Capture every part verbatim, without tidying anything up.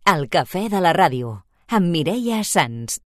El cafè de la ràdio, amb Mireia Sans.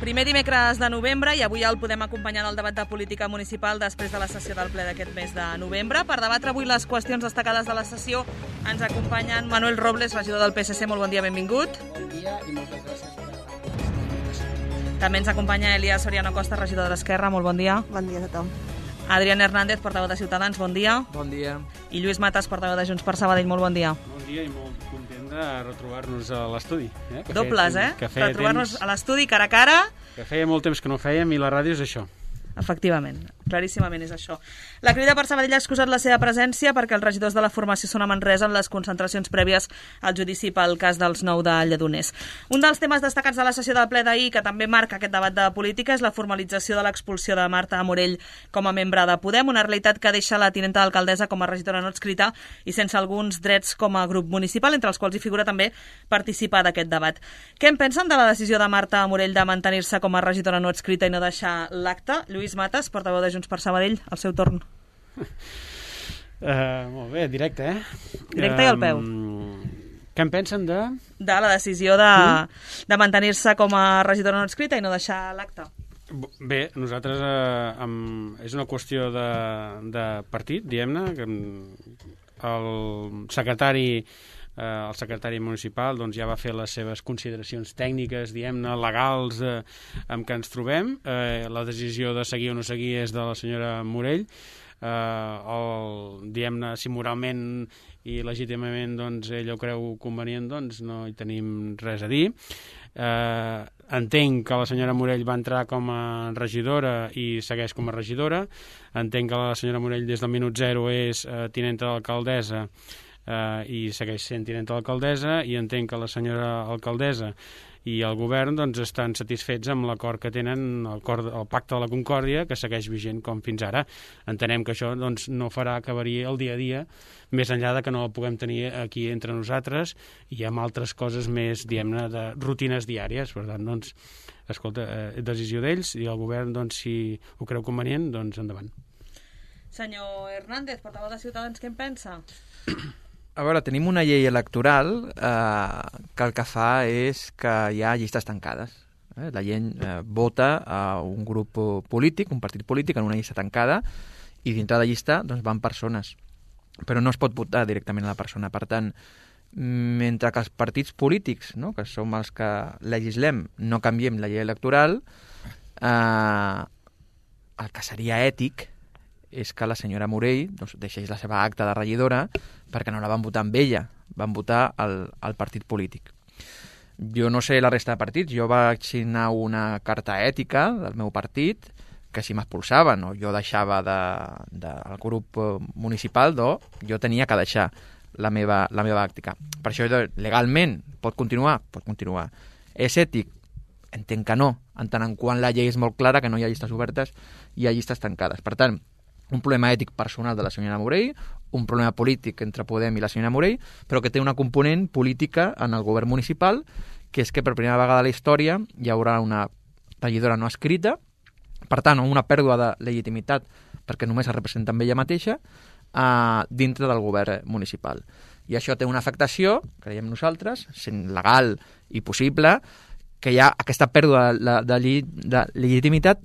Primer dimecres de novembre i avui el podem acompanyar en el debat de política municipal després de la sessió del ple d'aquest mes de novembre. Per debatre avui les qüestions destacades de la sessió ens acompanyen Manuel Robles, regidor del P S C. Molt bon dia, benvingut. Bon dia i moltes gràcies per la... També ens acompanya Elías Soriano Costa, regidor de l'Esquerra. Molt bon dia. Bon dia a tothom. Adrián Hernández, portaveu de Ciutadans. Bon dia. Bon dia. I Lluís Matas, portaveu de Junts per Sabadell. Molt bon dia. Bon dia i molt content de retrobar-nos a l'estudi. Eh? Que Dobles, feia, eh? Que feia Retrobar-nos temps, a l'estudi cara a cara. que feia molt temps que no fèiem i la ràdio és això. Efectivament, claríssimament és això. La Crida per Sabadell ha excusat la seva presència perquè els regidors de la formació són a Manresa en les concentracions prèvies al judici pel cas dels nou de Lledoners. Un dels temes destacats de la sessió del ple d'ahir, que també marca aquest debat de política, és la formalització de l'expulsió de Marta Morell com a membre de Podem, una realitat que deixa la tinenta d'alcaldessa com a regidora no adscrita i sense alguns drets com a grup municipal, entre els quals hi figura també participar d'aquest debat. Què en pensen de la decisió de Marta Morell de mantenir-se com a regidora no adscrita i no deixar l'acte? Lluís Matas, portaveu de Junts per Sabadell, al seu torn. Uh, molt bé, directe, eh? Directe i al peu. Um, què en pensen de... De la decisió de, de mantenir-se com a regidora no adscrita i no deixar l'acte. Bé, nosaltres eh, amb, és una qüestió de, de partit, diguem-ne, que el secretari Eh, el secretari municipal doncs, ja va fer les seves consideracions tècniques, diguem-ne, legals eh, amb què ens trobem. Eh, la decisió de seguir o no seguir és de la senyora Morell. Eh, el, diguem-ne, si moralment i legítimament doncs, ella ho creu convenient, doncs no hi tenim res a dir. Eh, entenc que la senyora Morell va entrar com a regidora i segueix com a regidora. Entenc que la senyora Morell des del minut zero és eh, tinenta d'alcaldessa Uh, i segueix sent tinenta d'alcaldessa, i entenc que la senyora alcaldessa i el govern doncs, estan satisfets amb l'acord que tenen, el, cor, el pacte de la Concòrdia, que segueix vigent com fins ara. Entenem que això doncs, no farà que variï el dia a dia, més enllà de que no el puguem tenir aquí entre nosaltres i amb altres coses més, diguem-ne, de rutines diàries. Per tant, doncs, escolta, eh, decisió d'ells, i el govern, doncs, si ho creu convenient, doncs endavant. Senyor Hernández, portaveu de Ciutadans, què en pensa? A veure, tenim una llei electoral eh, que el que fa és que hi ha llistes tancades. Eh? La gent eh, vota a un grup polític, un partit polític, en una llista tancada, i dintre de la llista doncs, van persones. Però no es pot votar directament a la persona. Per tant, mentre que els partits polítics, no? que som els que legislem, no canviem la llei electoral, eh, el que seria ètic és que la senyora Morell doncs, deixés la seva acta de regidora perquè no la van votar amb ella, van votar el, el partit polític. Jo no sé la resta de partits, jo vaig signar una carta ètica del meu partit que si m'expulsaven o jo deixava del de, de grup municipal, do, jo tenia que deixar la meva, la meva àctica. Per això legalment pot continuar? Pot continuar. És ètic? Entenc que no, en tant en quant la llei és molt clara que no hi ha llistes obertes, hi ha llistes tancades. Per tant, un problema ètic personal de la senyora Morell, un problema polític entre Podem i la senyora Morell, però que té una component política en el govern municipal, que és que per primera vegada a la història hi haurà una regidora no escrita, per tant, una pèrdua de legitimitat, perquè només es representa amb ella mateixa, eh, dintre del govern municipal. I això té una afectació, creiem nosaltres, sent legal i possible, que hi ha aquesta pèrdua de, de, de legitimitat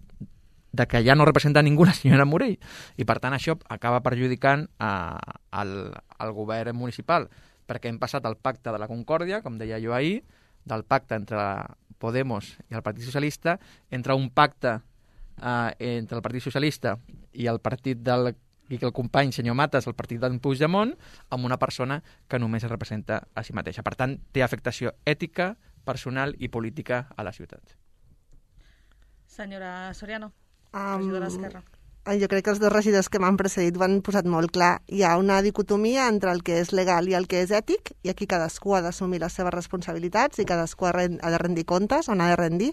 de que ja no representa ningú la senyora Morell. I, per tant, això acaba perjudicant a, al, al govern municipal, perquè hem passat al pacte de la Concòrdia, com deia jo ahir, del pacte entre Podemos i el Partit Socialista, entre un pacte eh, entre el Partit Socialista i el partit del sigui que el company senyor Matas del partit d'en Puigdemont amb una persona que només es representa a si mateixa. Per tant, té afectació ètica, personal i política a la ciutat. Senyora Soriano, Um, regidora d'Esquerra. Jo crec que els dos regidors que m'han precedit ho han posat molt clar. Hi ha una dicotomia entre el que és legal i el que és ètic, i aquí cadascú ha d'assumir les seves responsabilitats i cadascú ha de rendir comptes on ha de rendir.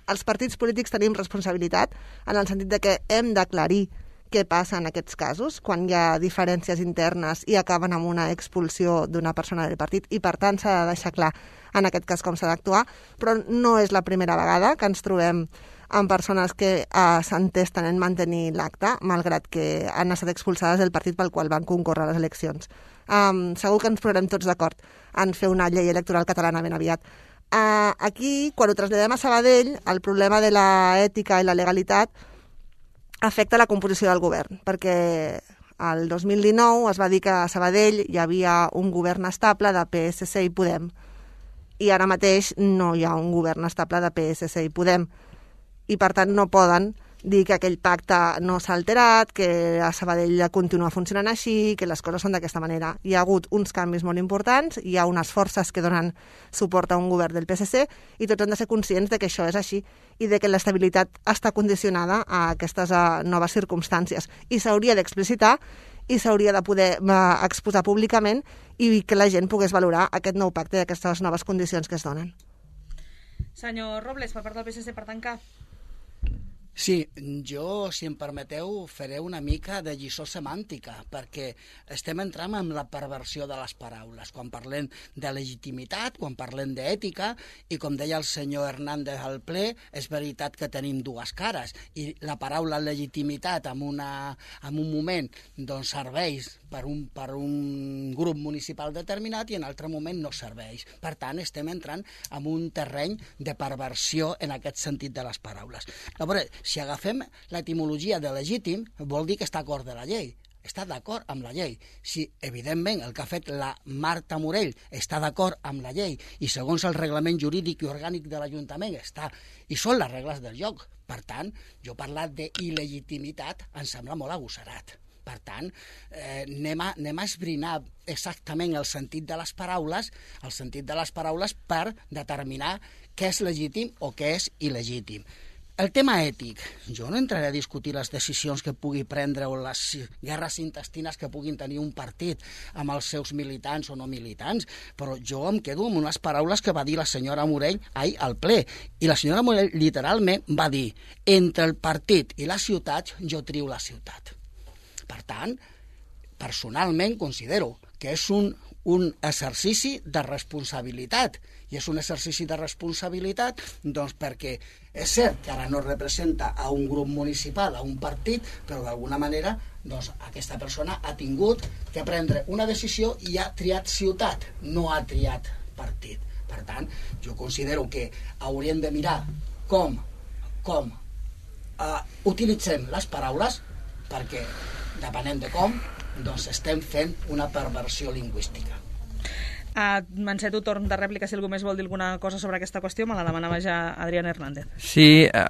Els partits polítics tenim responsabilitat en el sentit de que hem d'aclarir què passa en aquests casos, quan hi ha diferències internes i acaben amb una expulsió d'una persona del partit, i per tant s'ha de deixar clar en aquest cas com s'ha d'actuar, però no és la primera vegada que ens trobem amb persones que eh, s'entesten en mantenir l'acte, malgrat que han estat expulsades del partit pel qual van concórrer a les eleccions. Um, segur que ens posarem tots d'acord en fer una llei electoral catalana ben aviat. Uh, aquí, quan ho traslladem a Sabadell, el problema de la ètica i la legalitat afecta la composició del govern, perquè el dos mil dinou es va dir que a Sabadell hi havia un govern estable de P S C i Podem, i ara mateix no hi ha un govern estable de P S C i Podem, i per tant no poden dir que aquell pacte no s'ha alterat, que a Sabadell continua funcionant així, que les coses són d'aquesta manera. Hi ha hagut uns canvis molt importants, hi ha unes forces que donen suport a un govern del P S C i tots han de ser conscients de que això és així i de que l'estabilitat està condicionada a aquestes a, noves circumstàncies, i s'hauria d'explicitar i s'hauria de poder uh, exposar públicament i que la gent pogués valorar aquest nou pacte i aquestes noves condicions que es donen. Senyor Robles, per part del P S C, per tancar. Sí, jo, si em permeteu, faré una mica de lliçó semàntica, perquè estem entrant en la perversió de les paraules, quan parlem de legitimitat, quan parlem d'ètica, i com deia el senyor Hernández al ple, és veritat que tenim dues cares, i la paraula legitimitat en, una, en un moment doncs, serveix per un, per un grup municipal determinat i en altre moment no serveix. Per tant, estem entrant en un terreny de perversió en aquest sentit de les paraules. Llavors, si agafem l'etimologia de legítim, vol dir que està d'acord de la llei. Està d'acord amb la llei. Si, evidentment, el que ha fet la Marta Morell està d'acord amb la llei i segons el reglament jurídic i orgànic de l'Ajuntament està, i són les regles del joc. Per tant, jo parlar d'il·legitimitat em sembla molt agosserat. Per tant, eh, anem, a, anem a esbrinar exactament el sentit de les paraules, el sentit de les paraules per determinar què és legítim o què és il·legítim. El tema ètic, jo no entraré a discutir les decisions que pugui prendre o les guerres intestines que puguin tenir un partit amb els seus militants o no militants, però jo em quedo amb unes paraules que va dir la senyora Morell ahir al ple. I la senyora Morell literalment va dir: entre el partit i la ciutat, jo trio la ciutat. Per tant, personalment considero que és un, un exercici de responsabilitat. I és un exercici de responsabilitat doncs perquè és cert que ara no representa a un grup municipal, a un partit, però d'alguna manera doncs, aquesta persona ha tingut que prendre una decisió i ha triat ciutat, no ha triat partit. Per tant, jo considero que hauríem de mirar com, com uh, utilitzem les paraules, perquè depenent de com, doncs estem fent una perversió lingüística. Uh, M'enceto torn de rèplica si algú més vol dir alguna cosa sobre aquesta qüestió. Me la demanava ja Adrián Hernández. Sí, eh,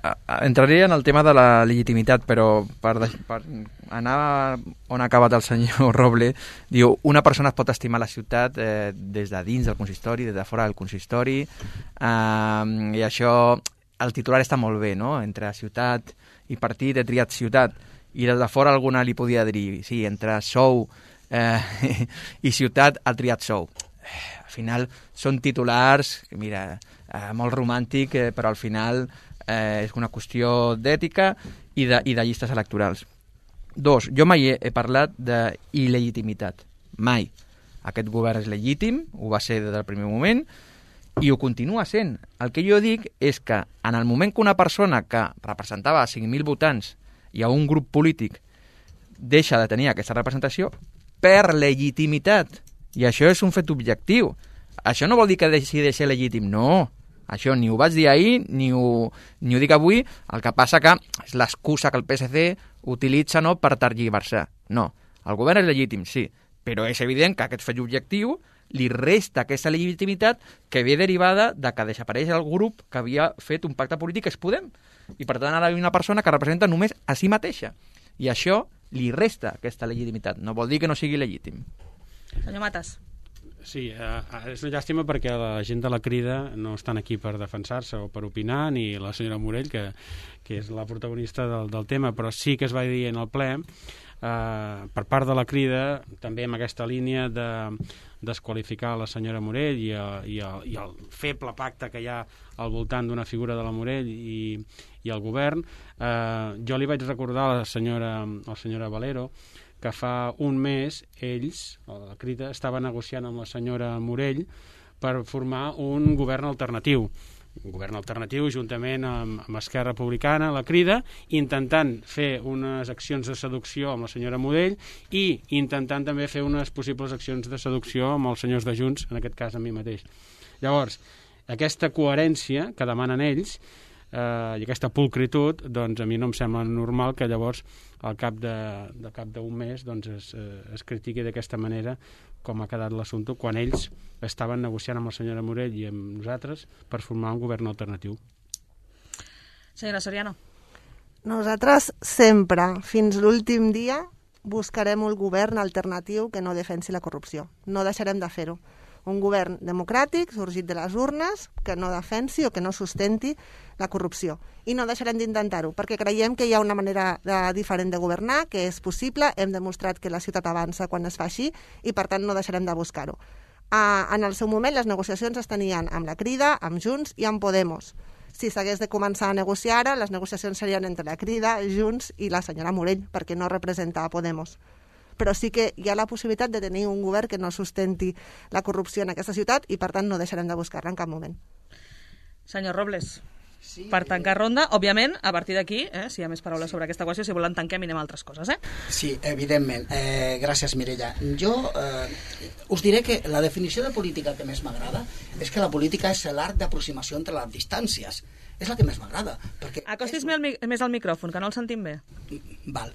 entraria en el tema de la legitimitat, però per, per anar on ha acabat el senyor Roble, diu, una persona es pot estimar la ciutat eh, des de dins del consistori, des de fora del consistori, eh, i això, el titular està molt bé, no? Entre ciutat i partit he triat ciutat, i des de fora alguna li podia dir, sí, entre sou eh, i ciutat ha triat sou. Al final són titulars, mira, eh, molt romàntic, eh, però al final eh, és una qüestió d'ètica i de, i de llistes electorals. Dos, jo mai he, he parlat d'il·legitimitat. Mai. Aquest govern és legítim, ho va ser des del primer moment, i ho continua sent. El que jo dic és que en el moment que una persona que representava cinc mil votants i a un grup polític deixa de tenir aquesta representació, per legitimitat. I això és un fet objectiu. Això no vol dir que deixi de ser legítim, no. Això ni ho vaig dir ahir, ni ho, ni ho dic avui. El que passa que és l'excusa que el P S C utilitza, no, per tergiversar. No, el govern és legítim, sí, però és evident que aquest fet objectiu li resta aquesta legitimitat que ve derivada de que desapareix el grup que havia fet un pacte polític que és Podem. I per tant ara hi ha una persona que representa només a si mateixa. I això li resta aquesta legitimitat. No vol dir que no sigui legítim. Senyor Matas. Sí, eh, és una llàstima perquè la gent de la Crida no estan aquí per defensar-se o per opinar, ni la senyora Morell, que, que és la protagonista del, del tema, però sí que es va dir en el ple, eh, per part de la Crida, també amb aquesta línia de desqualificar la senyora Morell i, el, i, el, i el feble pacte que hi ha al voltant d'una figura de la Morell i, i el govern. Eh, jo li vaig recordar a la senyora, a la senyora Valero que fa un mes ells, la Crida, estava negociant amb la senyora Morell per formar un govern alternatiu. Un govern alternatiu juntament amb, amb Esquerra Republicana, la Crida, intentant fer unes accions de seducció amb la senyora Morell i intentant també fer unes possibles accions de seducció amb els senyors de Junts, en aquest cas amb mi mateix. Llavors, aquesta coherència que demanen ells eh, i aquesta pulcritud, doncs a mi no em sembla normal que llavors al cap de, de cap d'un mes doncs es, es critiqui d'aquesta manera com ha quedat l'assumpte quan ells estaven negociant amb la senyora Morell i amb nosaltres per formar un govern alternatiu. Senyora Soriano. Nosaltres sempre, fins l'últim dia, buscarem un govern alternatiu que no defensi la corrupció. No deixarem de fer-ho. Un govern democràtic, sorgit de les urnes, que no defensi o que no sustenti la corrupció. I no deixarem d'intentar-ho, perquè creiem que hi ha una manera de, diferent de governar, que és possible, hem demostrat que la ciutat avança quan es fa així, i per tant no deixarem de buscar-ho. Uh, en el seu moment les negociacions es tenien amb la Crida, amb Junts i amb Podemos. Si s'hagués de començar a negociar ara, les negociacions serien entre la Crida, Junts i la senyora Morell, perquè no representa a Podemos. Però sí que hi ha la possibilitat de tenir un govern que no sustenti la corrupció en aquesta ciutat i, per tant, no deixarem de buscar-la en cap moment. Senyor Robles, sí, per tancar ronda, òbviament, a partir d'aquí, eh, si hi ha més paraules sobre aquesta qüestió, si volen tanquem i anem a altres coses, eh? Sí, evidentment. Eh, gràcies, Mireia. Jo eh, us diré que la definició de política que més m'agrada és que la política és l'art d'aproximació entre les distàncies. És la que més m'agrada. Acostis és... més al micròfon, que no el sentim bé. Val.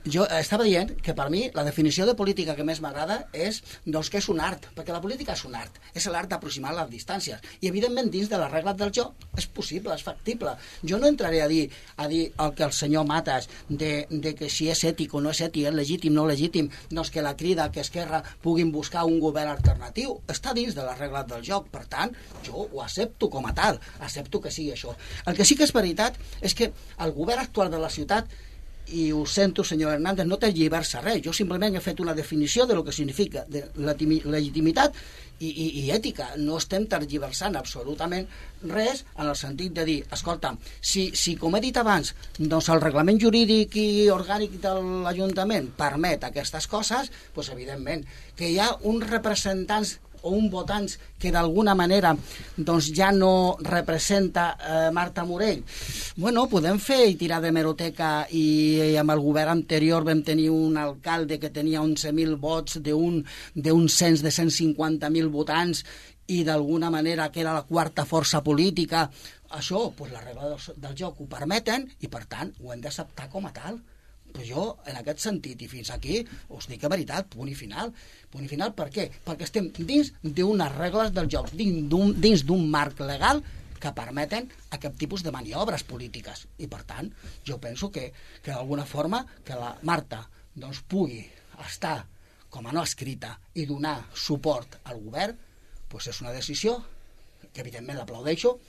Jo estava dient que per mi la definició de política que més m'agrada és doncs, que és un art, perquè la política és un art, és l'art d'aproximar les distàncies. I evidentment dins de les regles del joc és possible, és factible. Jo no entraré a dir, a dir el que el senyor Matas de, de que si és ètic o no és ètic, és legítim o no legítim, doncs que la Crida, que Esquerra puguin buscar un govern alternatiu. Està dins de les regles del joc. Per tant, jo ho accepto com a tal, accepto que sigui això. El que sí que és veritat és que el govern actual de la ciutat, i ho sento, senyor Hernández, no té lligar-se res. Jo simplement he fet una definició de lo que significa de legitimitat i, i, i ètica. No estem tergiversant absolutament res en el sentit de dir, escolta, si, si com he dit abans, doncs el reglament jurídic i orgànic de l'Ajuntament permet aquestes coses, doncs evidentment que hi ha uns representants o un votants que d'alguna manera doncs ja no representa eh, Marta Morell. Bueno, podem fer i tirar de meroteca i, i amb el govern anterior vam tenir un alcalde que tenia onze mil vots d'un d'un cens de cent cinquanta mil votants i d'alguna manera que era la quarta força política. Això, doncs les regles del, del joc ho permeten i per tant ho hem d'acceptar com a tal. Però jo, en aquest sentit, i fins aquí, us dic la veritat, punt i final. Punt i final, per què? Perquè estem dins d'unes regles del joc, dins d'un marc legal que permeten aquest tipus de maniobres polítiques. I, per tant, jo penso que, que d'alguna forma, que la Marta doncs, pugui estar com a no escrita i donar suport al govern, doncs és una decisió que, evidentment, l'aplaudeixo,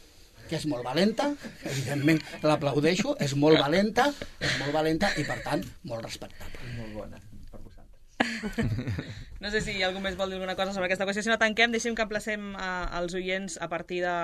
que és molt valenta, evidentment l'aplaudeixo, és molt valenta, és molt valenta i, per tant, molt respectable. Molt bona per vosaltres. No sé si algú més vol dir alguna cosa sobre aquesta qüestió. Si no tanquem, deixem que emplacem als oients a partir de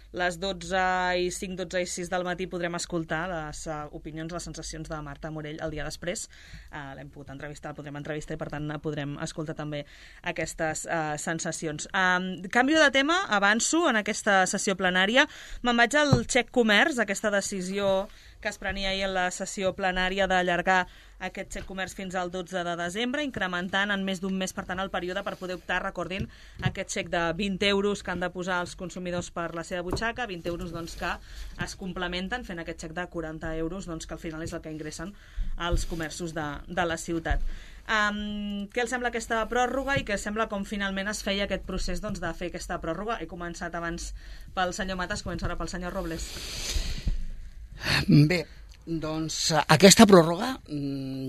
les dotze i cinc, dotze i sis del matí podrem escoltar les uh, opinions, les sensacions de Marta Morell el dia després. Uh, l'hem pogut entrevistar, el podrem entrevistar i per tant podrem escoltar també aquestes uh, sensacions. Um, canvio de tema, avanço en aquesta sessió plenària. Me'n vaig al xec comerç, aquesta decisió que es prenia ahir en la sessió plenària d'allargar aquest xec comerç fins al dotze de desembre, incrementant en més d'un mes, per tant, el període per poder optar, recordin, aquest xec de vint euros que han de posar els consumidors per la seva butxaca, vint euros doncs, que es complementen fent aquest xec de quaranta euros, doncs, que al final és el que ingressen els comerços de, de la ciutat. Um, què els sembla aquesta pròrroga i què sembla com finalment es feia aquest procés doncs, de fer aquesta pròrroga? He començat abans pel senyor Matas, començo ara pel senyor Robles. Bé, Doncs aquesta pròrroga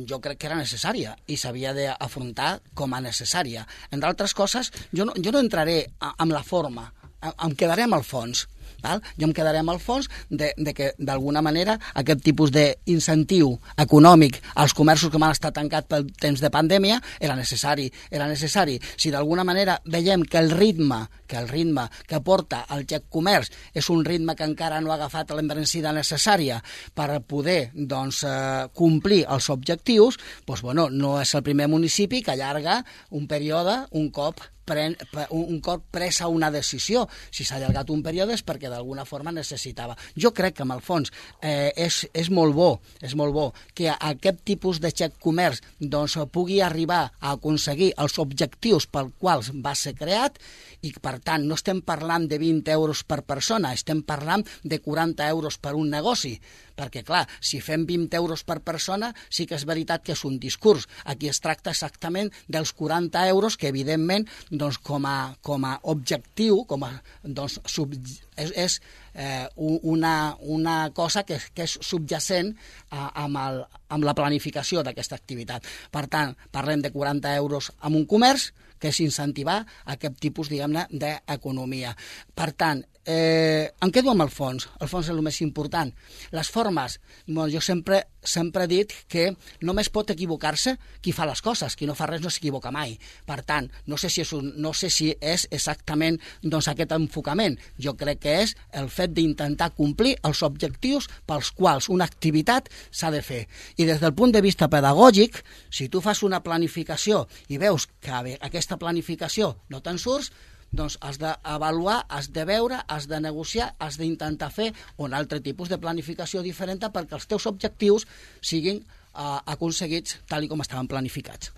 jo crec que era necessària i s'havia d'afrontar com a necessària. Entre altres coses, jo no, jo no entraré amb la forma, em quedaré amb el fons. Val? Jo em quedaré amb el fons de, de que, d'alguna manera, aquest tipus d'incentiu econòmic als comerços que m'han estat tancats pel temps de pandèmia era necessari. Era necessari. Si d'alguna manera veiem que el ritme que el ritme que porta el Xec Comerç és un ritme que encara no ha agafat l'embranzida necessària per poder doncs, eh, complir els objectius, doncs, bueno, no és el primer municipi que allarga un període un cop Pren, un cop presa una decisió. Si s'ha allargat un període és perquè d'alguna forma necessitava. Jo crec que, en el fons, eh, és, és molt bo és molt bo que aquest tipus de Xec Comerç doncs, pugui arribar a aconseguir els objectius pels quals va ser creat i, per tant, no estem parlant de vint euros per persona, estem parlant de quaranta euros per un negoci. Perquè, clar, si fem vint euros per persona, sí que és veritat que és un discurs. Aquí es tracta exactament dels quaranta euros que, evidentment, doncs, com, a, com a objectiu, com a, doncs, sub, és, és eh, una, una cosa que, que és subjacent a, amb, el, amb la planificació d'aquesta activitat. Per tant, parlem de quaranta euros amb un comerç, que és incentivar aquest tipus, diguem-ne, d'economia. Per tant, eh, em quedo amb el fons. El fons és el més important. Les formes, bueno, jo sempre, sempre he dit que només pot equivocar-se qui fa les coses, qui no fa res no s'equivoca mai. Per tant, no sé si és, un, no sé si és exactament doncs, aquest enfocament. Jo crec que és el fet d'intentar complir els objectius pels quals una activitat s'ha de fer. I des del punt de vista pedagògic, si tu fas una planificació i veus que aquesta planificació no te'n surts, doncs has d'avaluar, has de veure, has de negociar, has d'intentar fer un altre tipus de planificació diferent perquè els teus objectius siguin uh, aconseguits tal com estaven planificats.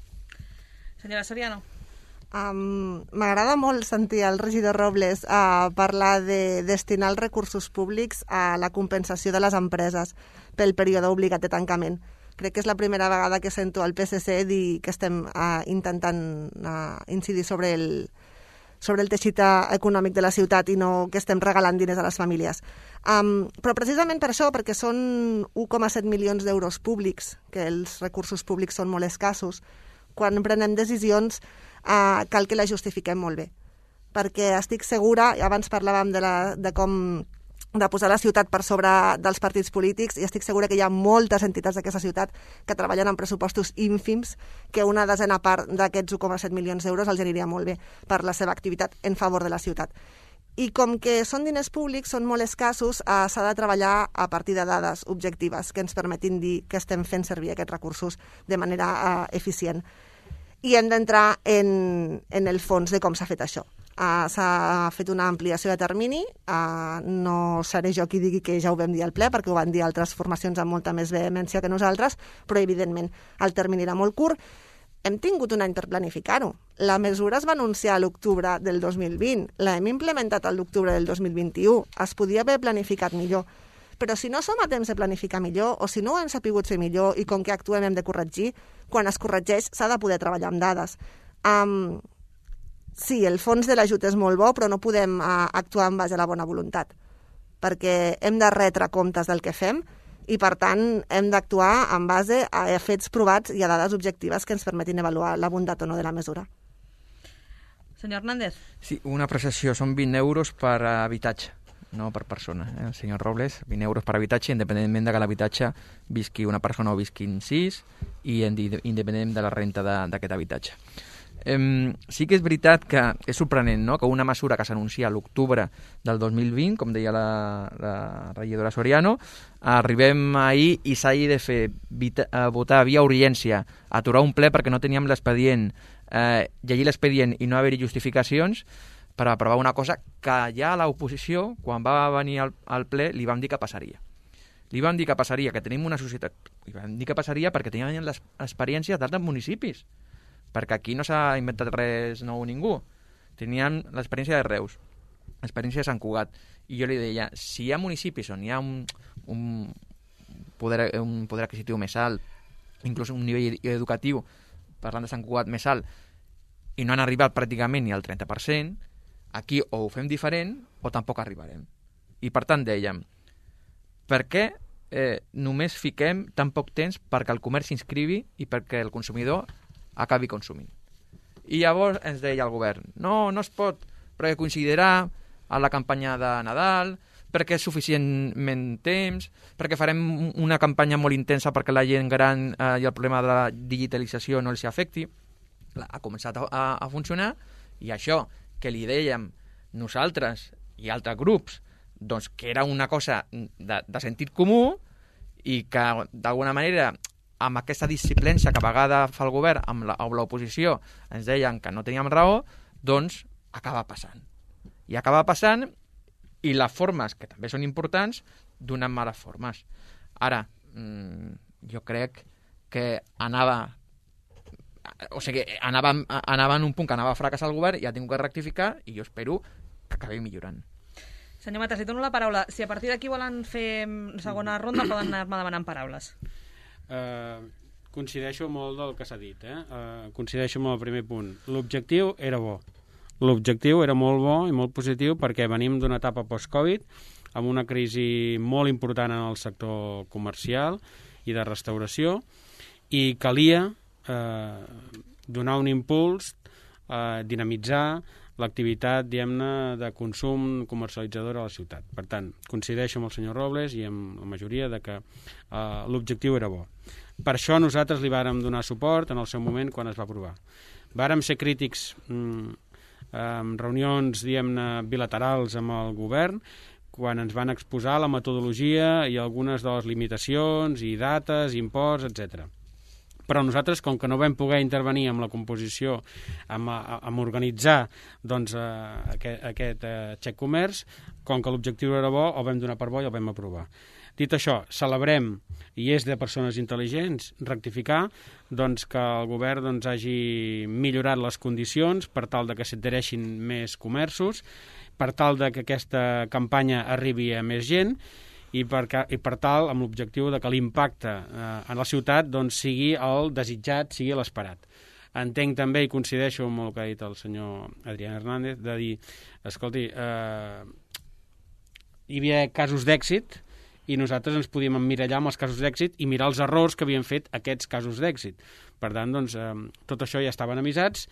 Senyora Soriano. Um, M'agrada molt sentir el regidor Robles uh, parlar de destinar els recursos públics a la compensació de les empreses pel període obligat de tancament. Crec que és la primera vegada que sento al P S C dir que estem uh, intentant uh, incidir sobre el, sobre el teixit econòmic de la ciutat i no que estem regalant diners a les famílies. Um, però precisament per això, perquè són un coma set milions d'euros públics, que els recursos públics són molt escassos, quan prenem decisions uh, cal que les justifiquem molt bé. Perquè estic segura, abans parlàvem de, la, de com de posar la ciutat per sobre dels partits polítics i estic segura que hi ha moltes entitats d'aquesta ciutat que treballen amb pressupostos ínfims que una desena part d'aquests un coma set milions d'euros els aniria molt bé per la seva activitat en favor de la ciutat. I com que són diners públics, són molt escassos, eh, s'ha de treballar a partir de dades objectives que ens permetin dir que estem fent servir aquests recursos de manera eh, eficient. I hem d'entrar en, en el fons de com s'ha fet això. Uh, s'ha fet una ampliació de termini, uh, no seré jo qui digui que ja ho vam dir al ple, perquè ho van dir altres formacions amb molta més vehemència que nosaltres, però evidentment el termini era molt curt. Hem tingut un any per planificar-ho. La mesura es va anunciar a l'octubre del dos mil vint, l'hem implementat a l'octubre del dos mil vint-i-u, es podia haver planificat millor. Però si no som a temps de planificar millor, o si no ho hem sapigut fer millor i com que actuem hem de corregir, quan es corregeix s'ha de poder treballar amb dades. Um, Sí, el fons de l'ajut és molt bo, però no podem uh, actuar en base a la bona voluntat, perquè hem de retre comptes del que fem i, per tant, hem d'actuar en base a fets provats i a dades objectives que ens permetin avaluar la bondat o no de la mesura. Senyor Hernández. Sí, una prestació són vint euros per habitatge, no per persona. Eh? El senyor Robles, vint euros per habitatge, independentment de que l'habitatge visqui una persona o visquin sis i independentment de la renta d'aquest habitatge. Um, sí que és veritat que és sorprenent, no?, que una mesura que s'anuncia a l'octubre del dos mil vint, com deia la, la regidora Soriano, arribem ahir i s'hagi de fer vita, uh, votar via urgència, aturar un ple perquè no teníem l'expedient, eh, llegir l'expedient i no haver-hi justificacions per aprovar una cosa que ja a l'oposició, quan va venir al, al ple, li vam dir que passaria. Li vam dir que passaria, que tenim una societat... Li vam dir que passaria perquè teníem les experiències d'altres municipis, perquè aquí no s'ha inventat res nou ningú. Teníem l'experiència de Reus, l'experiència de Sant Cugat, i jo li deia, si hi ha municipis on hi ha un, un, poder, un poder adquisitiu més alt, inclús un nivell educatiu, parlant de Sant Cugat, més alt, i no han arribat pràcticament ni al trenta per cent, aquí o ho fem diferent o tampoc arribarem. I per tant dèiem, per què eh, només fiquem tan poc temps perquè el comerç s'inscrivi i perquè el consumidor acabi consumint. I llavors ens deia el govern, no, no es pot, perquè coincidirà a la campanya de Nadal, perquè és suficientment temps, perquè farem una campanya molt intensa perquè la gent gran eh, i el problema de la digitalització no els afecti. Ha començat a, a, a funcionar i això que li dèiem nosaltres i altres grups doncs que era una cosa de, de sentit comú i que d'alguna manera amb aquesta disciplència que a vegada fa el govern amb l'oposició ens deien que no teníem raó, doncs acaba passant. I acaba passant i les formes, que també són importants, donen males formes. Ara, mmm, jo crec que anava o sigui, anava, anava en un punt que anava a fracassar el govern i ha tingut que rectificar i jo espero que acabi millorant. Senyor Matas, li dono la paraula. Si a partir d'aquí volen fer segona ronda, poden anar-me demanant paraules. Uh, coincideixo molt del que s'ha dit. Eh? Uh, coincideixo amb el primer punt. L'objectiu era bo. L'objectiu era molt bo i molt positiu perquè venim d'una etapa post-Covid amb una crisi molt important en el sector comercial i de restauració i calia eh, donar un impuls, eh, dinamitzar l'activitat, diguem-ne, de consum comercialitzador a la ciutat. Per tant, coincideixo amb el senyor Robles i amb la majoria de que eh, l'objectiu era bo. Per això nosaltres li vàrem donar suport en el seu moment quan es va aprovar. Vàrem ser crítics mm, en reunions, diguem-ne, bilaterals amb el govern, quan ens van exposar la metodologia i algunes de les limitacions i dates, imports, etcètera. Però nosaltres, com que no vam poder intervenir amb la composició, amb, amb organitzar doncs, eh, aquest, aquest eh, xec comerç, com que l'objectiu era bo, el vam donar per bo i el vam aprovar. Dit això, celebrem, i és de persones intel·ligents, rectificar doncs, que el govern doncs, hagi millorat les condicions per tal de que s'adhereixin més comerços, per tal de que aquesta campanya arribi a més gent i per, i per tal amb l'objectiu de que l'impacte eh, en la ciutat doncs, sigui el desitjat, sigui l'esperat. Entenc també, i coincideixo amb el que ha dit el senyor Adrián Hernández, de dir, escolti, eh, hi havia casos d'èxit i nosaltres ens podíem emmirallar amb els casos d'èxit i mirar els errors que havien fet aquests casos d'èxit. Per tant, doncs, eh, tot això ja estaven avisats.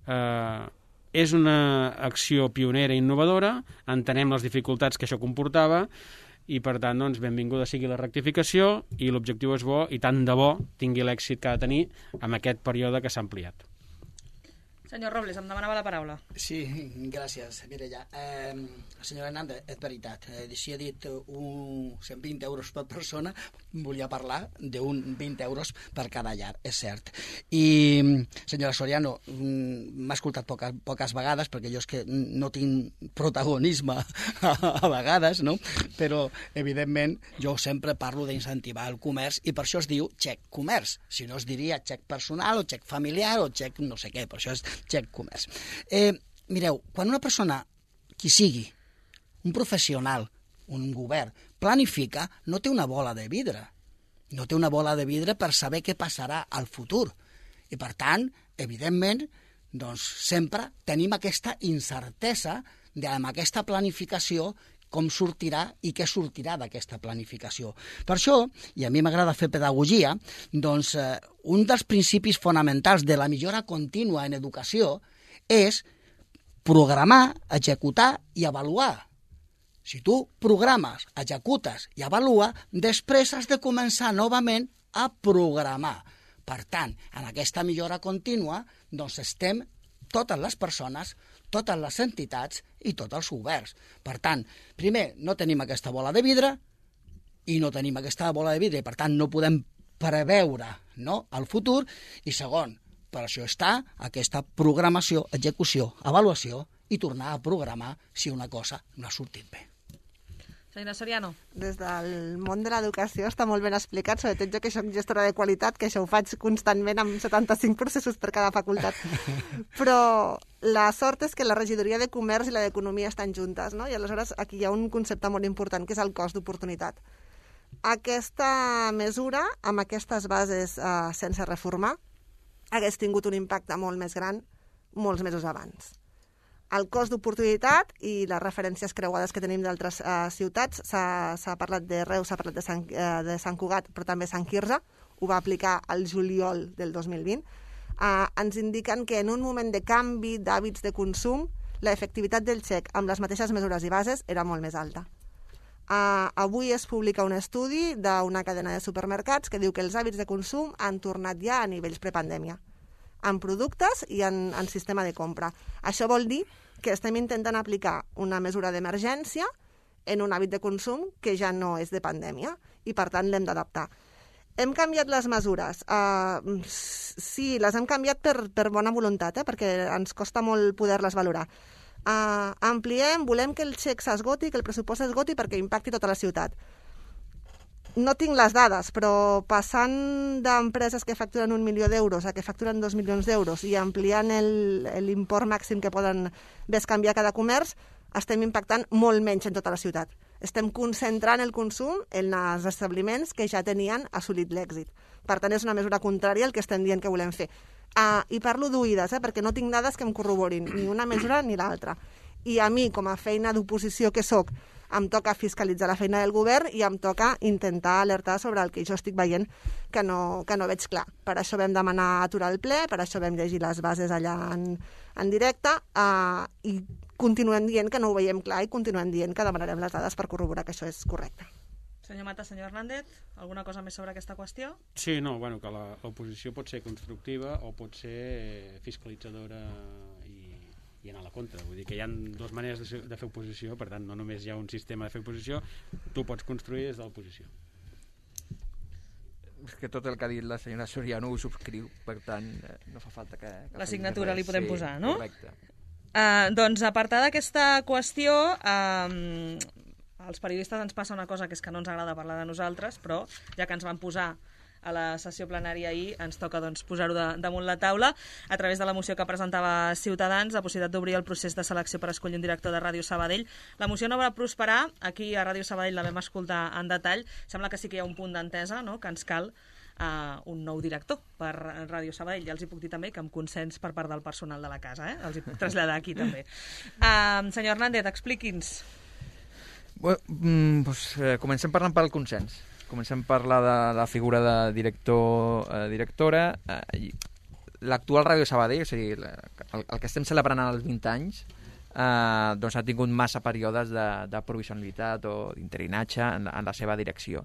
Eh, és una acció pionera i innovadora, entenem les dificultats que això comportava i, per tant, doncs, benvinguda sigui la rectificació i l'objectiu és bo i tant de bo tingui l'èxit que ha de tenir amb aquest període que s'ha ampliat. Senyor Robles, em demanava la paraula. Sí, gràcies, Mireia. Eh, senyora Hernández, és veritat. Eh, si he dit un, cent vint euros per persona, volia parlar d'un vint euros per cada llar, és cert. I, senyora Soriano, m'ha escoltat poques, poques vegades, perquè jo és que no tinc protagonisme a, a vegades, no? Però, evidentment, jo sempre parlo d'incentivar el comerç i per això es diu xec comerç. Si no es diria xec personal o xec familiar o xec no sé què, per això és xec comerç. Eh, mireu, quan una persona, qui sigui, un professional, un govern, planifica, no té una bola de vidre. No té una bola de vidre per saber què passarà al futur. I, per tant, evidentment, doncs, sempre tenim aquesta incertesa de, amb aquesta planificació, com sortirà i què sortirà d'aquesta planificació. Per això, i a mi m'agrada fer pedagogia, doncs eh, un dels principis fonamentals de la millora contínua en educació és programar, executar i avaluar. Si tu programes, executes i avalua, després has de començar novament a programar. Per tant, en aquesta millora contínua, doncs estem totes les persones, totes les entitats i tots els governs. Per tant, primer, no tenim aquesta bola de vidre i no tenim aquesta bola de vidre i, per tant, no podem preveure, no?, el futur. I segon, per això està aquesta programació, execució, avaluació i tornar a programar si una cosa no ha sortit bé. Senyora Soriano. Des del món de l'educació està molt ben explicat, sobretot jo que soc gestora de qualitat, que això ho faig constantment amb setanta-cinc processos per cada facultat. Però la sort és que la regidoria de comerç i la d'economia estan juntes, no? I aleshores aquí hi ha un concepte molt important, que és el cost d'oportunitat. Aquesta mesura, amb aquestes bases eh, sense reformar, hagués tingut un impacte molt més gran molts mesos abans. el cost d'oportunitat i les referències creuades que tenim d'altres eh, ciutats. S'ha parlat de Reus, s'ha parlat de Sant, eh, de Sant Cugat, però també Sant Quirze, ho va aplicar al juliol del dos mil vint. Eh, ens indiquen que en un moment de canvi d'hàbits de consum, l'efectivitat del xec amb les mateixes mesures i bases era molt més alta. Uh, avui es publica un estudi d'una cadena de supermercats que diu que els hàbits de consum han tornat ja a nivells prepandèmia, en productes i en, en sistema de compra. Això vol dir que estem intentant aplicar una mesura d'emergència en un hàbit de consum que ja no és de pandèmia i, per tant, l'hem d'adaptar. Hem canviat les mesures. Uh, sí, les hem canviat per, per bona voluntat, eh? Perquè ens costa molt poder-les valorar. Uh, ampliem, volem que el xec s'esgoti, que el pressupost s'esgoti perquè impacti tota la ciutat. No tinc les dades, però passant d'empreses que facturen un milió d'euros a que facturen dos milions d'euros i ampliant l'import màxim que poden bescanviar cada comerç, estem impactant molt menys en tota la ciutat. Estem concentrant el consum en els establiments que ja tenien assolit l'èxit. Per tant, és una mesura contrària al que estem dient que volem fer. Uh, I parlo d'oïdes, eh, perquè no tinc dades que em corroborin ni una mesura ni l'altra. I a mi, com a feina d'oposició que sóc, em toca fiscalitzar la feina del govern i em toca intentar alertar sobre el que jo estic veient que no, que no veig clar. Per això vam demanar aturar el ple, per això vam llegir les bases allà en, en directe uh, i continuem dient que no ho veiem clar i continuem dient que demanarem les dades per corroborar que això és correcte. Senyor Mata, senyor Hernández, alguna cosa més sobre aquesta qüestió? Sí, no, bueno, que l'oposició pot ser constructiva o pot ser fiscalitzadora i, i anar a la contra. Vull dir que hi ha dues maneres de, de fer oposició, per tant, no només hi ha un sistema de fer oposició, tu pots construir des de l'oposició. És que tot el que ha dit la senyora Soriano ho subscriu, per tant, no fa falta que... que la signatura li podem sí, posar, no? Correcte. Uh, doncs, a part d'aquesta qüestió... Uh, als periodistes ens passa una cosa que és que no ens agrada parlar de nosaltres, però ja que ens van posar a la sessió plenària ahir, ens toca doncs, posar-ho de, damunt la taula a través de la moció que presentava Ciutadans, la possibilitat d'obrir el procés de selecció per escollir un director de Ràdio Sabadell. La moció no va prosperar, aquí a Ràdio Sabadell la vam escoltar en detall, sembla que sí que hi ha un punt d'entesa, no?, que ens cal uh, un nou director per Ràdio Sabadell. Ja els hi puc dir també que amb consens per part del personal de la casa, eh? Els hi puc traslladar aquí també. Uh, senyor Hernández, expliqui'ns. Bueno, doncs, eh, comencem parlant pel consens. Comencem a parlar de la figura de director, eh, directora. Eh, L'actual Ràdio Sabadell, o sigui, el, el que estem celebrant als vint anys, eh, doncs ha tingut massa períodes de, de provisionalitat o d'interinatge en, en la seva direcció.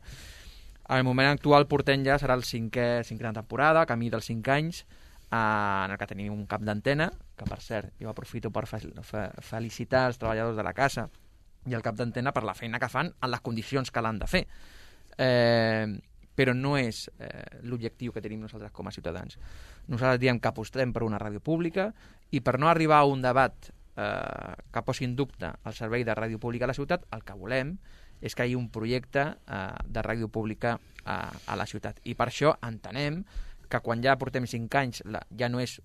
Al moment actual portem ja, serà el cinquè, cinquena temporada, camí dels cinc anys, eh, en el que tenim un cap d'antena, que per cert, jo aprofito per fe, fe, felicitar els treballadors de la casa i el cap d'antena per la feina que fan en les condicions que l'han de fer. Eh, però no és eh, l'objectiu que tenim nosaltres com a ciutadans. Nosaltres diem que apostem per una ràdio pública i per no arribar a un debat eh, que posi en dubte el servei de ràdio pública a la ciutat, el que volem és que hi hagi un projecte eh, de ràdio pública a, a la ciutat. I per això entenem que quan ja portem cinc anys la, ja no és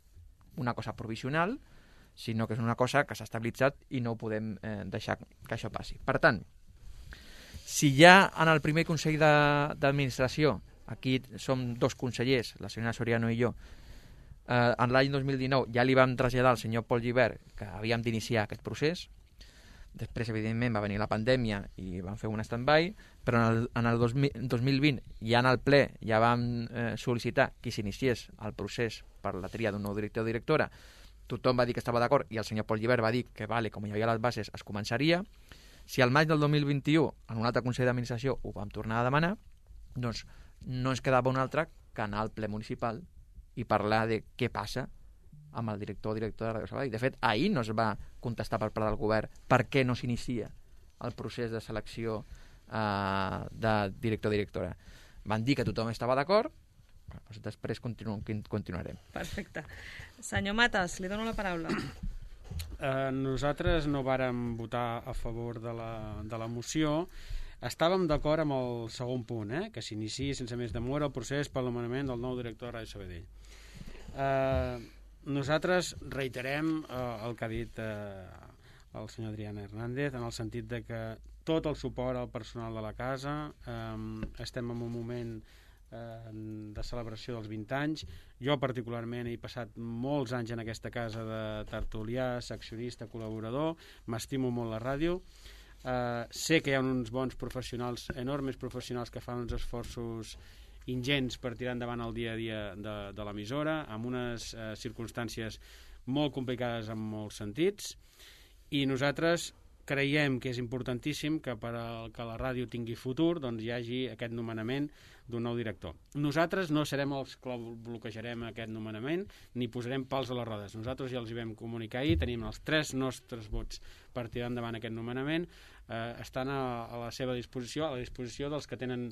una cosa provisional, sinó que és una cosa que s'ha estabilitzat i no podem eh, deixar que això passi. Per tant, si ja en el primer Consell d'Administració, aquí som dos consellers, la senyora Soriano i jo, eh, en l'any dos mil dinou ja li vam traslladar al senyor Pol Gibert que havíem d'iniciar aquest procés, després, evidentment, va venir la pandèmia i vam fer un stand-by, però en el, en el dos mil, dos mil vint, ja en el ple, ja vam eh, sol·licitar que s'iniciés el procés per la tria d'un nou director o directora. Tothom va dir que estava d'acord i el senyor Pol Gibert va dir que, vale, com hi havia les bases, es començaria. Si al maig del dos mil vint-i-u, en un altre Consell d'Administració, ho vam tornar a demanar, doncs no ens quedava un altre que anar al ple municipal i parlar de què passa amb el director o directora de Ràdio Sabadell. De fet, ahir no es va contestar per part del govern per què no s'inicia el procés de selecció eh, de director o directora. Van dir que tothom estava d'acord, doncs després continu continuarem. Perfecte. Senyor Matas, li dono la paraula. Eh, nosaltres no vàrem votar a favor de la, de la moció. Estàvem d'acord amb el segon punt, eh? Que s'iniciï sense més demora el procés per l'anomenament del nou director de Ràdio Sabadell. Eh, nosaltres reiterem eh, el que ha dit eh, el senyor Adrián Hernández, en el sentit de que tot el suport al personal de la casa, eh, estem en un moment eh, de celebració dels vint anys. Jo particularment he passat molts anys en aquesta casa de tertulià, seccionista, col·laborador, m'estimo molt la ràdio. Uh, sé que hi ha uns bons professionals, enormes professionals, que fan uns esforços ingents per tirar endavant el dia a dia de, de l'emissora, amb unes uh, circumstàncies molt complicades en molts sentits, i nosaltres creiem que és importantíssim que per a que la ràdio tingui futur doncs hi hagi aquest nomenament d'un nou director. Nosaltres no serem els que bloquejarem aquest nomenament ni posarem pals a les rodes. Nosaltres ja els hi vam comunicar ahir, tenim els tres nostres vots per tirar endavant aquest nomenament, eh, estan a, a la seva disposició, a la disposició dels que tenen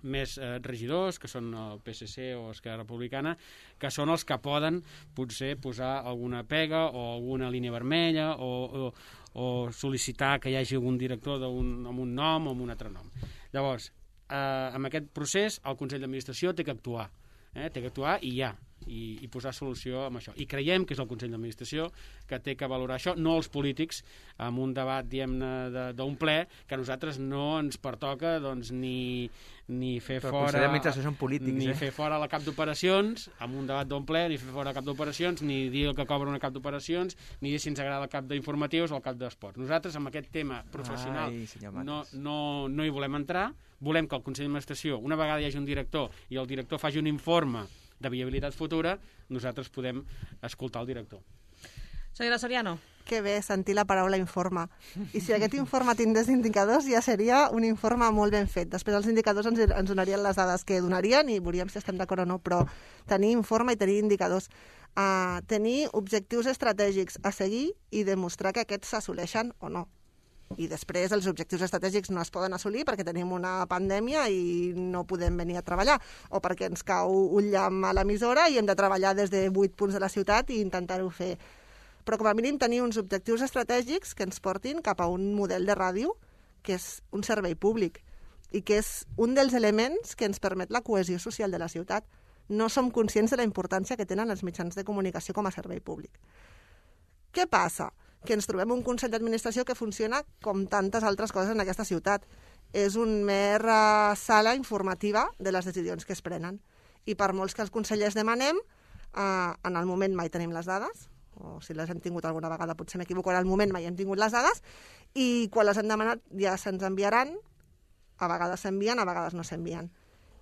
més eh, regidors, que són el P S C o Esquerra Republicana, que són els que poden potser posar alguna pega o alguna línia vermella o, o, o sol·licitar que hi hagi algun director un, amb un nom o amb un altre nom. Llavors, eh, amb aquest procés el Consell d'Administració té que actuar, eh? té que actuar i ja, i, i posar solució amb això. I creiem que és el Consell d'Administració que té que valorar això, no els polítics, amb un debat, diguem-ne, d'un ple que a nosaltres no ens pertoca doncs, ni, ni fer Però fora són polítics, ni eh? fer fora la cap d'operacions amb un debat d'un ple, ni fer fora la cap d'operacions, ni dir el que cobra una cap d'operacions, ni dir si ens agrada el cap d'informatius o el cap d'esports. Nosaltres amb aquest tema professional Ai, no, no, no hi volem entrar, volem que el Consell d'Administració, una vegada hi hagi un director i el director faci un informe de viabilitat futura, nosaltres podem escoltar el director. Senyora Soriano. Que bé sentir la paraula informe. I si aquest informe tindés indicadors ja seria un informe molt ben fet. Després els indicadors ens, ens donarien les dades que donarien i veuríem si estem d'acord o no, però tenir informe i tenir indicadors, uh, tenir objectius estratègics a seguir i demostrar que aquests s'assoleixen o no. I després els objectius estratègics no es poden assolir perquè tenim una pandèmia i no podem venir a treballar, o perquè ens cau un llamp a l'emissora i hem de treballar des de vuit punts de la ciutat i intentar-ho fer. Però com a mínim tenir uns objectius estratègics que ens portin cap a un model de ràdio que és un servei públic i que és un dels elements que ens permet la cohesió social de la ciutat. No som conscients de la importància que tenen els mitjans de comunicació com a servei públic. Què passa? Que ens trobem un Consell d'Administració que funciona com tantes altres coses en aquesta ciutat. És un mer uh, sala informativa de les decisions que es prenen. I per molts que els consellers demanem, uh, en el moment mai tenim les dades, o si les hem tingut alguna vegada potser m'equivoco, en el moment mai hem tingut les dades, i quan les hem demanat ja se'ns enviaran, a vegades s'envien, a vegades no s'envien.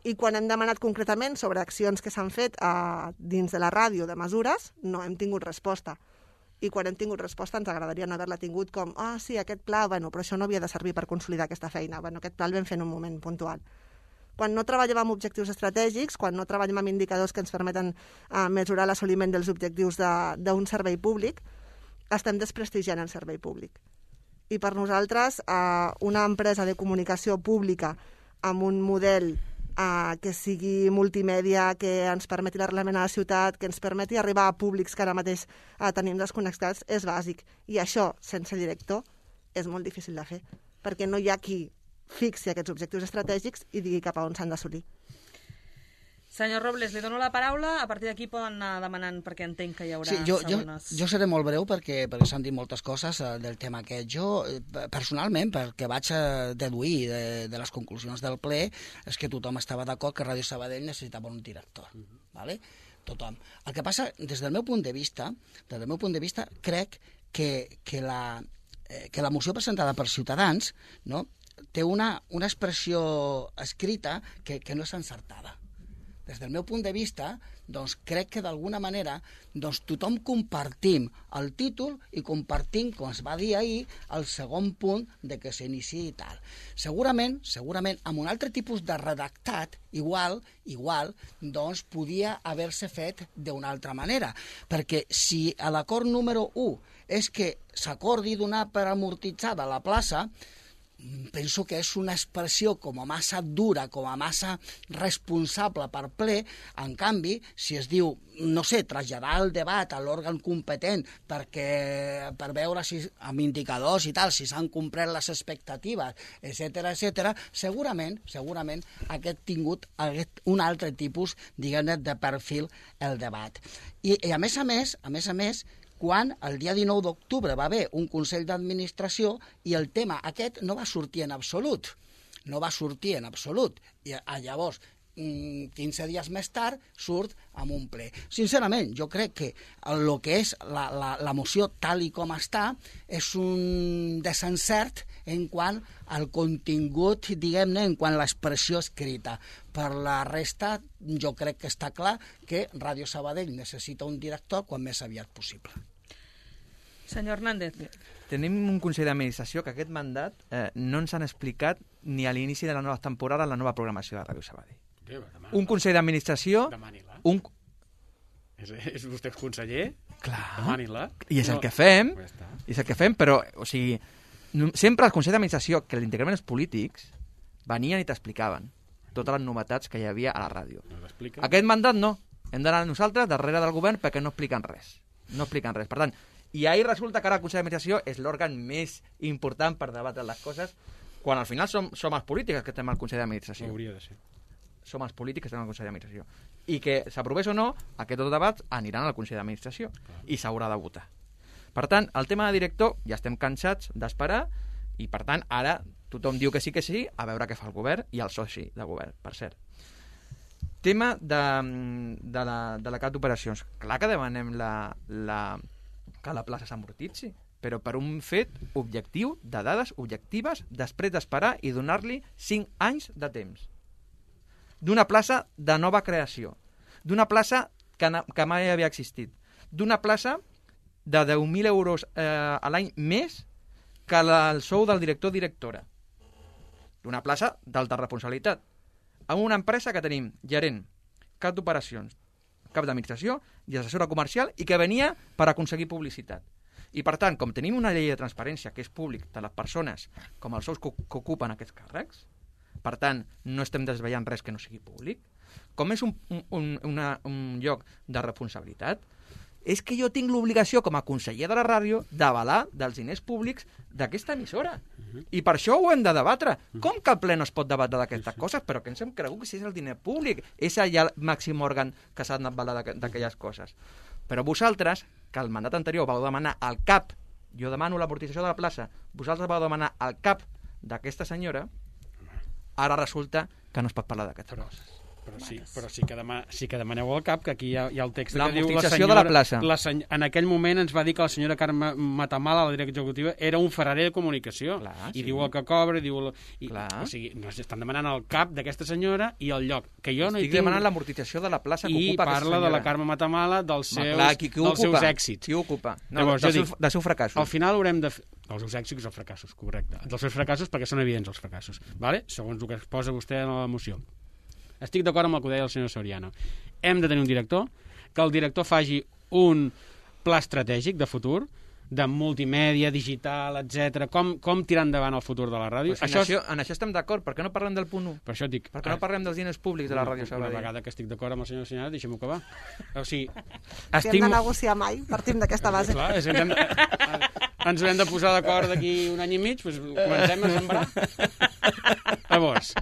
I quan hem demanat concretament sobre accions que s'han fet uh, dins de la ràdio de mesures, no hem tingut resposta. I quan hem tingut resposta ens agradaria no haver-la tingut com ah, sí, aquest pla, bueno, però això no havia de servir per consolidar aquesta feina. Bueno, aquest pla el vam fer en un moment puntual. Quan no treballem amb objectius estratègics, quan no treballem amb indicadors que ens permeten uh, mesurar l'assoliment dels objectius d'un servei públic, estem desprestigiant el servei públic. I per nosaltres, uh, una empresa de comunicació pública amb un model Uh, que sigui multimèdia, que ens permeti l'arrelament a la ciutat, que ens permeti arribar a públics que ara mateix uh, tenim desconnectats, és bàsic. I això, sense director, és molt difícil de fer, perquè no hi ha qui fixi aquests objectius estratègics i digui cap a on s'han d'assolir. Senyor Robles, li dono la paraula, a partir d'aquí poden anar demanant perquè entenc que hi haurà sí, jo, segones. Jo, jo seré molt breu perquè, perquè s'han dit moltes coses eh, del tema aquest. Jo, eh, personalment, perquè vaig a deduir de, de les conclusions del ple, és que tothom estava d'acord que Ràdio Sabadell necessitava un director. Uh-huh. Vale? Tothom. El que passa, des del meu punt de vista, des del meu punt de vista, crec que, que, la, eh, que la moció presentada per Ciutadans, no, té una, una expressió escrita que, que no és encertada. Des del meu punt de vista, doncs, crec que d'alguna manera doncs, tothom compartim el títol i compartim, com es va dir ahir, el segon punt de que s'iniciï i tal. Segurament, segurament, amb un altre tipus de redactat, igual, igual, doncs, podia haver-se fet d'una altra manera. Perquè si a l'acord número u és que s'acordi donar per amortitzada la plaça, penso que és una expressió com a massa dura, com a massa responsable per ple. En canvi, si es diu, no sé, traslladar el debat a l'òrgan competent perquè, per veure si, amb indicadors i tal, si s'han complert les expectatives, etcètera, etcètera, segurament, segurament aquest tingut aquest, un altre tipus, diguem-ne, de perfil el debat. I, i a més a més, a més a més, quan el dia dinou d'octubre va haver un Consell d'Administració i el tema aquest no va sortir en absolut. No va sortir en absolut. I llavors, quinze dies més tard surt amb un ple. Sincerament, jo crec que el que és la, la, la moció tal i com està és un desencert en quant al contingut, diguem-ne, en quant a l'expressió escrita. Per la resta, jo crec que està clar que Ràdio Sabadell necessita un director quan més aviat possible. Senyor Hernández. Tenim un Consell d'Administració que aquest mandat eh, no ens han explicat ni a l'inici de la nova temporada la nova programació de Ràdio Sabadell. Demà, Un Consell d'Administració... Demani-la. Un... És, és vostè conseller? Clar. Demani-la. I és el No. que fem, Ja està. i és el que fem, però, o sigui, no- sempre el Consell d'Administració, que l'integraven els polítics, venien i t'explicaven totes les novetats que hi havia a la ràdio. No l'explica? Aquest mandat no. Hem d'anar nosaltres darrere del govern perquè no expliquen res. No expliquen res. Per tant, i ahir resulta que ara el Consell d'Administració és l'òrgan més important per debatre les coses, quan al final som, som els polítics que estem al Consell d'Administració. Hauria de ser. Som els polítics que estem al Consell d'Administració. I que s'aprovés o no, aquests debats aniran al Consell d'Administració i s'haurà de votar. Per tant, el tema de director ja estem cansats d'esperar i, per tant, ara tothom diu que sí que sí, a veure què fa el govern i el soci de govern, per cert. Tema de, de la, de la cap d'operacions. Clar que demanem la, la, que la plaça s'amortitzi, però per un fet objectiu, de dades objectives, després d'esperar i donar-li cinc anys de temps. D'una plaça de nova creació, d'una plaça que, na, que mai havia existit, d'una plaça de deu mil euros eh, a l'any més que la, el sou del director-directora, d'una plaça d'alta responsabilitat, amb una empresa que tenim gerent, cap d'operacions, cap d'administració i assessora comercial i que venia per aconseguir publicitat. I, per tant, com tenim una llei de transparència que és públic de les persones com els sous que, que ocupen aquests càrrecs, per tant, no estem desvetllant res que no sigui públic, com és un, un, una, un lloc de responsabilitat, és que jo tinc l'obligació com a conseller de la ràdio d'avalar dels diners públics d'aquesta emissora. I per això ho hem de debatre. Com que el ple no es pot debatre d'aquestes coses? Però que ens hem cregut que si és el diner públic, és allà el màxim òrgan que s'ha d'avalar d'aquelles coses. Però vosaltres, que el mandat anterior vau demanar al cap, jo demano l'amortització de la plaça, vosaltres vau demanar al cap d'aquesta senyora, ara resulta que no es pot parlar d'aquestes coses. Però sí, però sí que, demà, sí que demaneu al cap, que aquí hi ha, hi ha el text que diu... L'amortització de la plaça. La seny... En aquell moment ens va dir que la senyora Carme Matamala, la directora executiva, era un ferrarer de comunicació. Clar, I sí. diu el que cobra, i diu... El... I, Clar. o sigui, nos estan demanant el cap d'aquesta senyora i el lloc, que jo no hi Estic tinc... demanant l'amortització de la plaça que I ocupa aquesta parla senyora. de la Carme Matamala, dels Ma, seus, clar, qui, qui dels ocupa? seus èxits. Qui ocupa? No, Llavors, dels jo seus, dic, dels seus fracassos. Al final haurem de... Fer... Els seus èxits i els fracassos, correcte. Dels seus fracassos perquè són evidents els fracassos, vale? Segons el que exposa vostè en la moció. Estic d'acord amb el que deia el senyor Soriano. Hem de tenir un director, que el director faci un pla estratègic de futur, de multimèdia, digital, etcètera. Com, com tirar endavant el futur de la ràdio. Pues això en, això, en això estem d'acord. Per què no parlem del punt u? Per això et dic... Per què no parlem dels diners públics de la Ràdio Sabadell? Una vegada que estic d'acord amb el senyor Soriano, deixem-ho acabar. O sigui, Si estic... hem de negociar mai, partim d'aquesta base. Clar, és, hem de, ens haurem de posar d'acord d'aquí un any i mig, doncs comencem a sembrar. Llavors,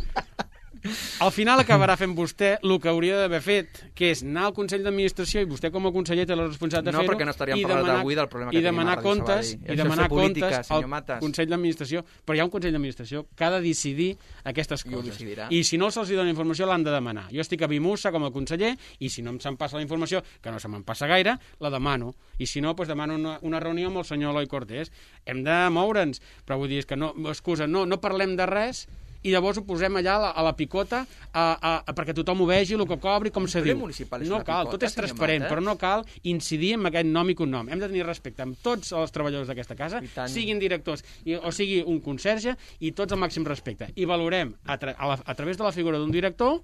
al final acabarà fent vostè el que hauria d'haver fet, que és anar al Consell d'Administració, i vostè com a conseller té la responsabilitat de No, fer-ho, perquè no estaríem i parlant demanar- avui del problema que i tenim a demanar Ràdio comptes, Sabadell. i Això és demanar fer política, comptes senyor al Matas. Consell d'Administració. Però hi ha un Consell d'Administració que ha de decidir aquestes I ho coses. decidirà. I si no se'ls dona informació, l'han de demanar. Jo estic a Bimussa com a conseller, i si no em se'm passa la informació, que no se me'n passa gaire, la demano. I si no, doncs demano una, una reunió amb el senyor Eloi Cortés. Hem de moure'ns, però vull dir, és que no, excusa, no, no parlem de res, i llavors ho posem allà a la, a la picota a, a, a, perquè tothom ho vegi, el que cobri, com se ple diu. municipal és No una cal, picota, tot és senyor transparent, Matas. però no cal incidir en aquest nom i cognom. Hem de tenir respecte amb tots els treballadors d'aquesta casa, I tant. siguin directors i, o sigui un conserge, i tots al màxim respecte. I valorem a, tra a, la, a través de la figura d'un director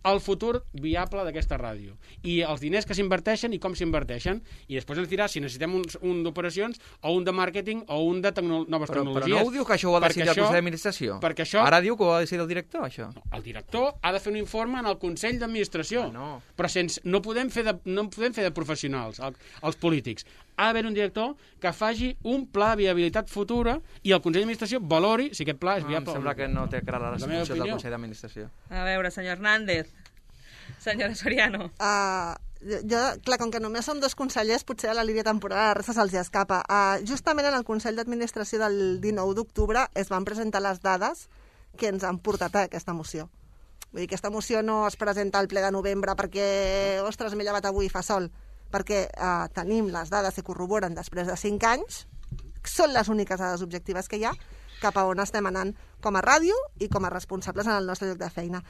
el futur viable d'aquesta ràdio i els diners que s'inverteixen i com s'inverteixen, i després ens dirà si necessitem un, un d'operacions o un de màrqueting o un de tecno noves Però, però tecnologies. no ho diu que això ho ha de Perquè decidir el això- Consell d'Administració? perquè això- Ara diu que ho ha de decidir el director, això. El director ha de fer un informe en el Consell d'Administració, Ah, no. però sense, no, podem fer de, no podem fer de professionals, el, els polítics. Ha d'haver un director que faci un pla de viabilitat futura i el Consell d'Administració valori si aquest pla és Ah, em viable. sembla que no té clara la La meva funció del opinió. Consell d'Administració. A veure, senyor Hernández. Senyora Soriano. Uh, jo, clar, com que només som dos consellers, potser a la línia temporal la resta se'ls escapa. Uh, justament en el Consell d'Administració del dinou d'octubre es van presentar les dades que ens han portat a aquesta moció. Vull dir, aquesta moció no es presenta al ple de novembre perquè, ostres, m'he llevat avui i fa sol, perquè eh, tenim les dades que corroboren després de cinc anys, són les úniques dades objectives que hi ha, cap a on estem anant com a ràdio i com a responsables en el nostre lloc de feina.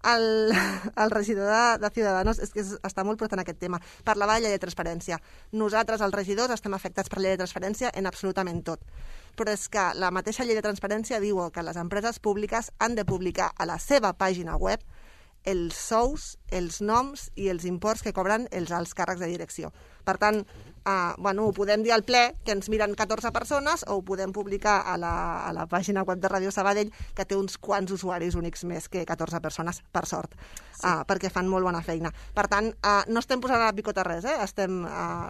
El, el regidor de, de Ciudadanos és que és, està molt portant aquest tema. Parlava de llei de transparència. Nosaltres, els regidors, estem afectats per la llei de transparència en absolutament tot. Però és que la mateixa llei de transparència diu que les empreses públiques han de publicar a la seva pàgina web els sous, els noms i els imports que cobren els alts càrrecs de direcció. Per tant, eh, bueno, ho podem dir al ple, que ens miren catorze persones, o ho podem publicar a la, a la pàgina web de Ràdio Sabadell, que té uns quants usuaris únics més que catorze persones, per sort, sí. eh, perquè fan molt bona feina. Per tant, eh, no estem posant a la picota res, eh? estem eh,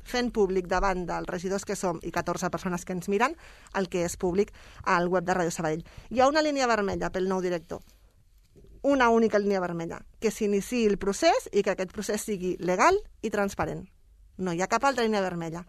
fent públic davant dels regidors que som i catorze persones que ens miren el que és públic al web de Ràdio Sabadell. Hi ha una línia vermella pel nou director, una única línia vermella, que s'iniciï el procés i que aquest procés sigui legal i transparent. No hi ha cap altra línia vermella.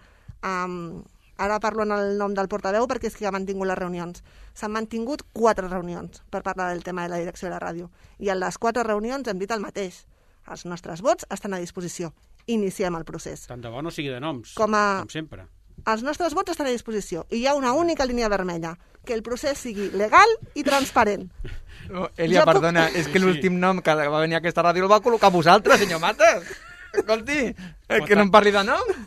Um, ara parlo en el nom del portaveu perquè és qui ha mantingut les reunions. S'han mantingut quatre reunions per parlar del tema de la direcció de la ràdio. I en les quatre reunions hem dit el mateix. Els nostres vots estan a disposició. Iniciem el procés. Tant de bo no sigui de noms, com, a... com sempre. Els nostres vots estan a disposició i hi ha una única línia vermella, que el procés sigui legal i transparent. Oh, Elia, jo perdona, puc... és que l'últim nom que va venir a aquesta ràdio el va col·locar vosaltres, senyor Mates. Escolti, eh, que no em parli de nom.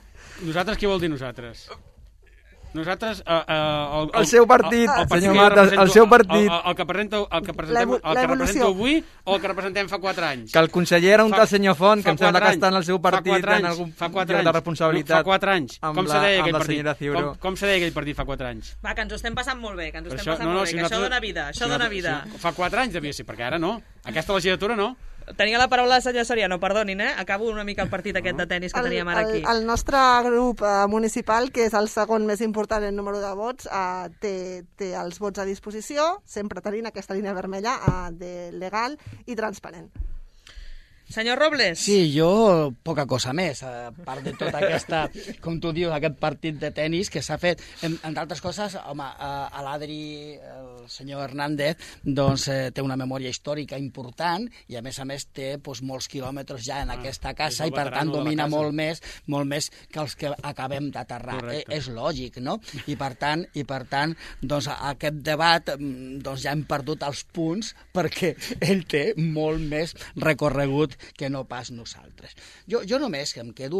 Nosaltres, què vol dir nosaltres? Nosaltres... Uh, uh, el, el, el seu partit, el, el, el senyor Mates, el seu partit. El, el, el que presenta, el que presentem, el que representa avui o el que representem fa quatre anys? Que el conseller era un fa, tal senyor Font, que em sembla que està en el seu partit anys, en algun fa quatre anys, de responsabilitat. Fa quatre anys. Com se deia aquell partit? Com, com se deia aquell partit fa quatre anys? Va, que ens ho estem passant molt bé, que ens ho estem això, passant no, no, molt bé, si que nosaltres, això dona vida, això si dona vida. Si, fa quatre anys devia ser, perquè ara no. Aquesta legislatura no. Tenia la paraula la senyora Soriano, perdonin, eh? Acabo una mica el partit aquest de tennis que el, teníem ara aquí. El, el nostre grup eh, municipal, que és el segon més important en número de vots, eh, té, té els vots a disposició, sempre tenint aquesta línia vermella eh, de legal i transparent. Senyor Robles. Sí, jo poca cosa més, a part de tota aquesta, com tu dius, aquest partit de tennis que s'ha fet. Entre altres coses, home, a l'Adri, el senyor Hernández, doncs eh, té una memòria històrica important i a més a més té doncs, molts quilòmetres ja en ah, aquesta casa i per tant domina molt més, molt més que els que acabem d'aterrar. Eh, és lògic, no? I per tant, i per tant doncs, aquest debat doncs, ja hem perdut els punts perquè ell té molt més recorregut que no pas nosaltres. Jo, jo només que em quedo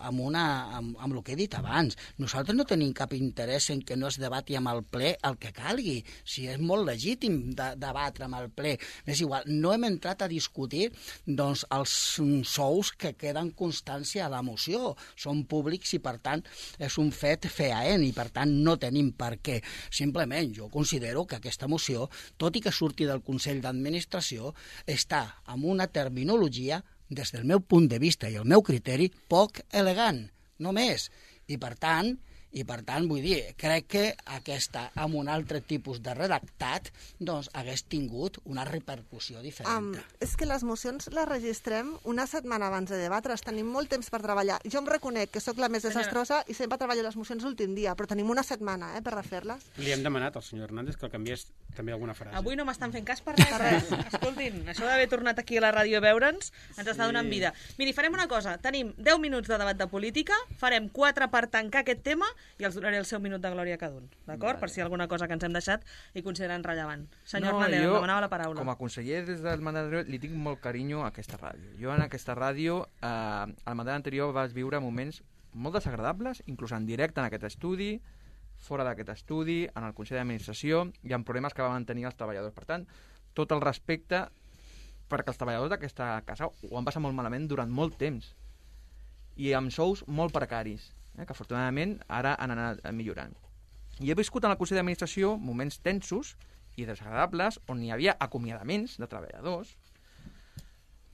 amb, una, amb, amb el que he dit abans. Nosaltres no tenim cap interès en que no es debati amb el ple el que calgui. Si és molt legítim de, debatre amb el ple. És igual, no hem entrat a discutir doncs, els sous que queden constància a la moció. Són públics i, per tant, és un fet feaent i, per tant, no tenim per què. Simplement, jo considero que aquesta moció, tot i que surti del Consell d'Administració, està amb una terminologia des del meu punt de vista i el meu criteri, poc elegant, no més. I per tant, i per tant, vull dir, crec que aquesta, amb un altre tipus de redactat, doncs hagués tingut una repercussió diferent. Um, és que les mocions les registrem una setmana abans de debatre's, tenim molt temps per treballar. Jo em reconec que sóc la més desastrosa i sempre treballo les mocions l'últim dia, però tenim una setmana eh, per refer-les. Li hem demanat al senyor Hernández que el canviés també alguna frase. Avui no m'estan fent cas per res. Per res. Escoltin, això d'haver tornat aquí a la ràdio a veure'ns ens sí. està donant vida. Miri, farem una cosa. Tenim deu minuts de debat de política, farem quatre per tancar aquest tema i els donaré el seu minut de glòria a cada un. D'acord? Vale. Per si hi ha alguna cosa que ens hem deixat i consideren rellevant. Senyor no, Hernández, em demanava la paraula. Com a conseller des del mandat anterior li tinc molt carinyo a aquesta ràdio. Jo en aquesta ràdio, eh, al mandat anterior vas viure moments molt desagradables, inclús en directe en aquest estudi, fora d'aquest estudi, en el Consell d'Administració, i amb problemes que van tenir els treballadors. Per tant, tot el respecte perquè els treballadors d'aquesta casa ho han passat molt malament durant molt temps i amb sous molt precaris, eh, que afortunadament ara han anat millorant. I he viscut en el Consell d'Administració moments tensos i desagradables on hi havia acomiadaments de treballadors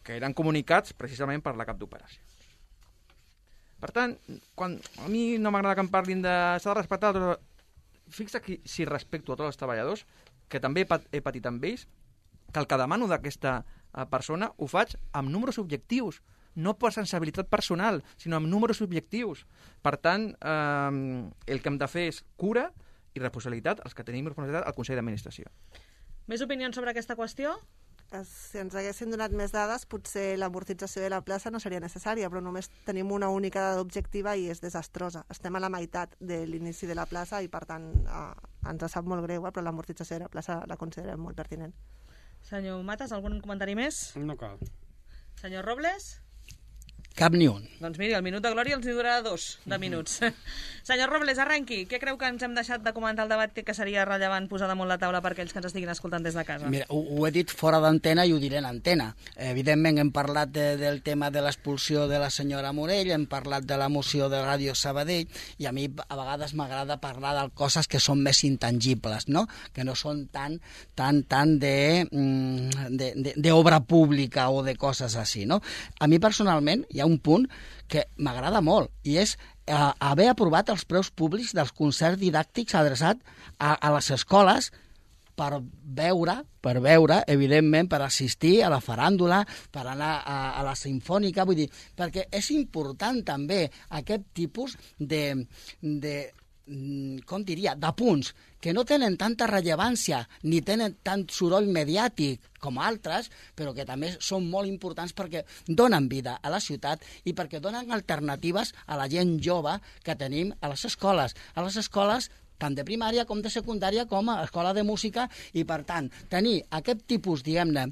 que eren comunicats precisament per la cap d'operacions. Per tant, quan a mi no m'agrada que em parlin de s'ha de respectar, fixa que si respecto a tots els treballadors, que també he patit amb ells, que el que demano d'aquesta persona ho faig amb números objectius, no per sensibilitat personal, sinó amb números objectius. Per tant, eh, el que hem de fer és cura i responsabilitat, els que tenim responsabilitat al Consell d'Administració. Més opinions sobre aquesta qüestió? Si ens haguessin donat més dades, potser l'amortització de la plaça no seria necessària, però només tenim una única dada objectiva i és desastrosa. Estem a la meitat de l'inici de la plaça i, per tant, eh, ens sap molt greu, eh, però l'amortització de la plaça la considerem molt pertinent. Senyor Matas, algun comentari més? No cal. Senyor Robles? Cap ni un. Doncs miri, el minut de glòria els hi durarà dos de minuts. Senyor Robles, arrenqui. Què creu que ens hem deixat de comentar al debat que seria rellevant posar damunt la taula per aquells que ens estiguin escoltant des de casa? Mira, ho, ho he dit fora d'antena i ho diré en antena. Evidentment hem parlat de, del tema de l'expulsió de la senyora Morell, hem parlat de la moció de Ràdio Sabadell, i a mi a vegades m'agrada parlar de coses que són més intangibles, no? Que no són tan, tan, tan de, de, de, de obra pública o de coses així, no? A mi personalment hi ha un punt que m'agrada molt, i és eh, haver aprovat els preus públics dels concerts didàctics adreçats a, a les escoles per veure, per veure, evidentment, per assistir a la faràndula, per anar a, a la sinfònica, vull dir, perquè és important també aquest tipus de, de com diria, de punts que no tenen tanta rellevància ni tenen tant soroll mediàtic com altres, però que també són molt importants perquè donen vida a la ciutat i perquè donen alternatives a la gent jove que tenim a les escoles. A les escoles tant de primària com de secundària com a escola de música, i per tant tenir aquest tipus, diguem-ne,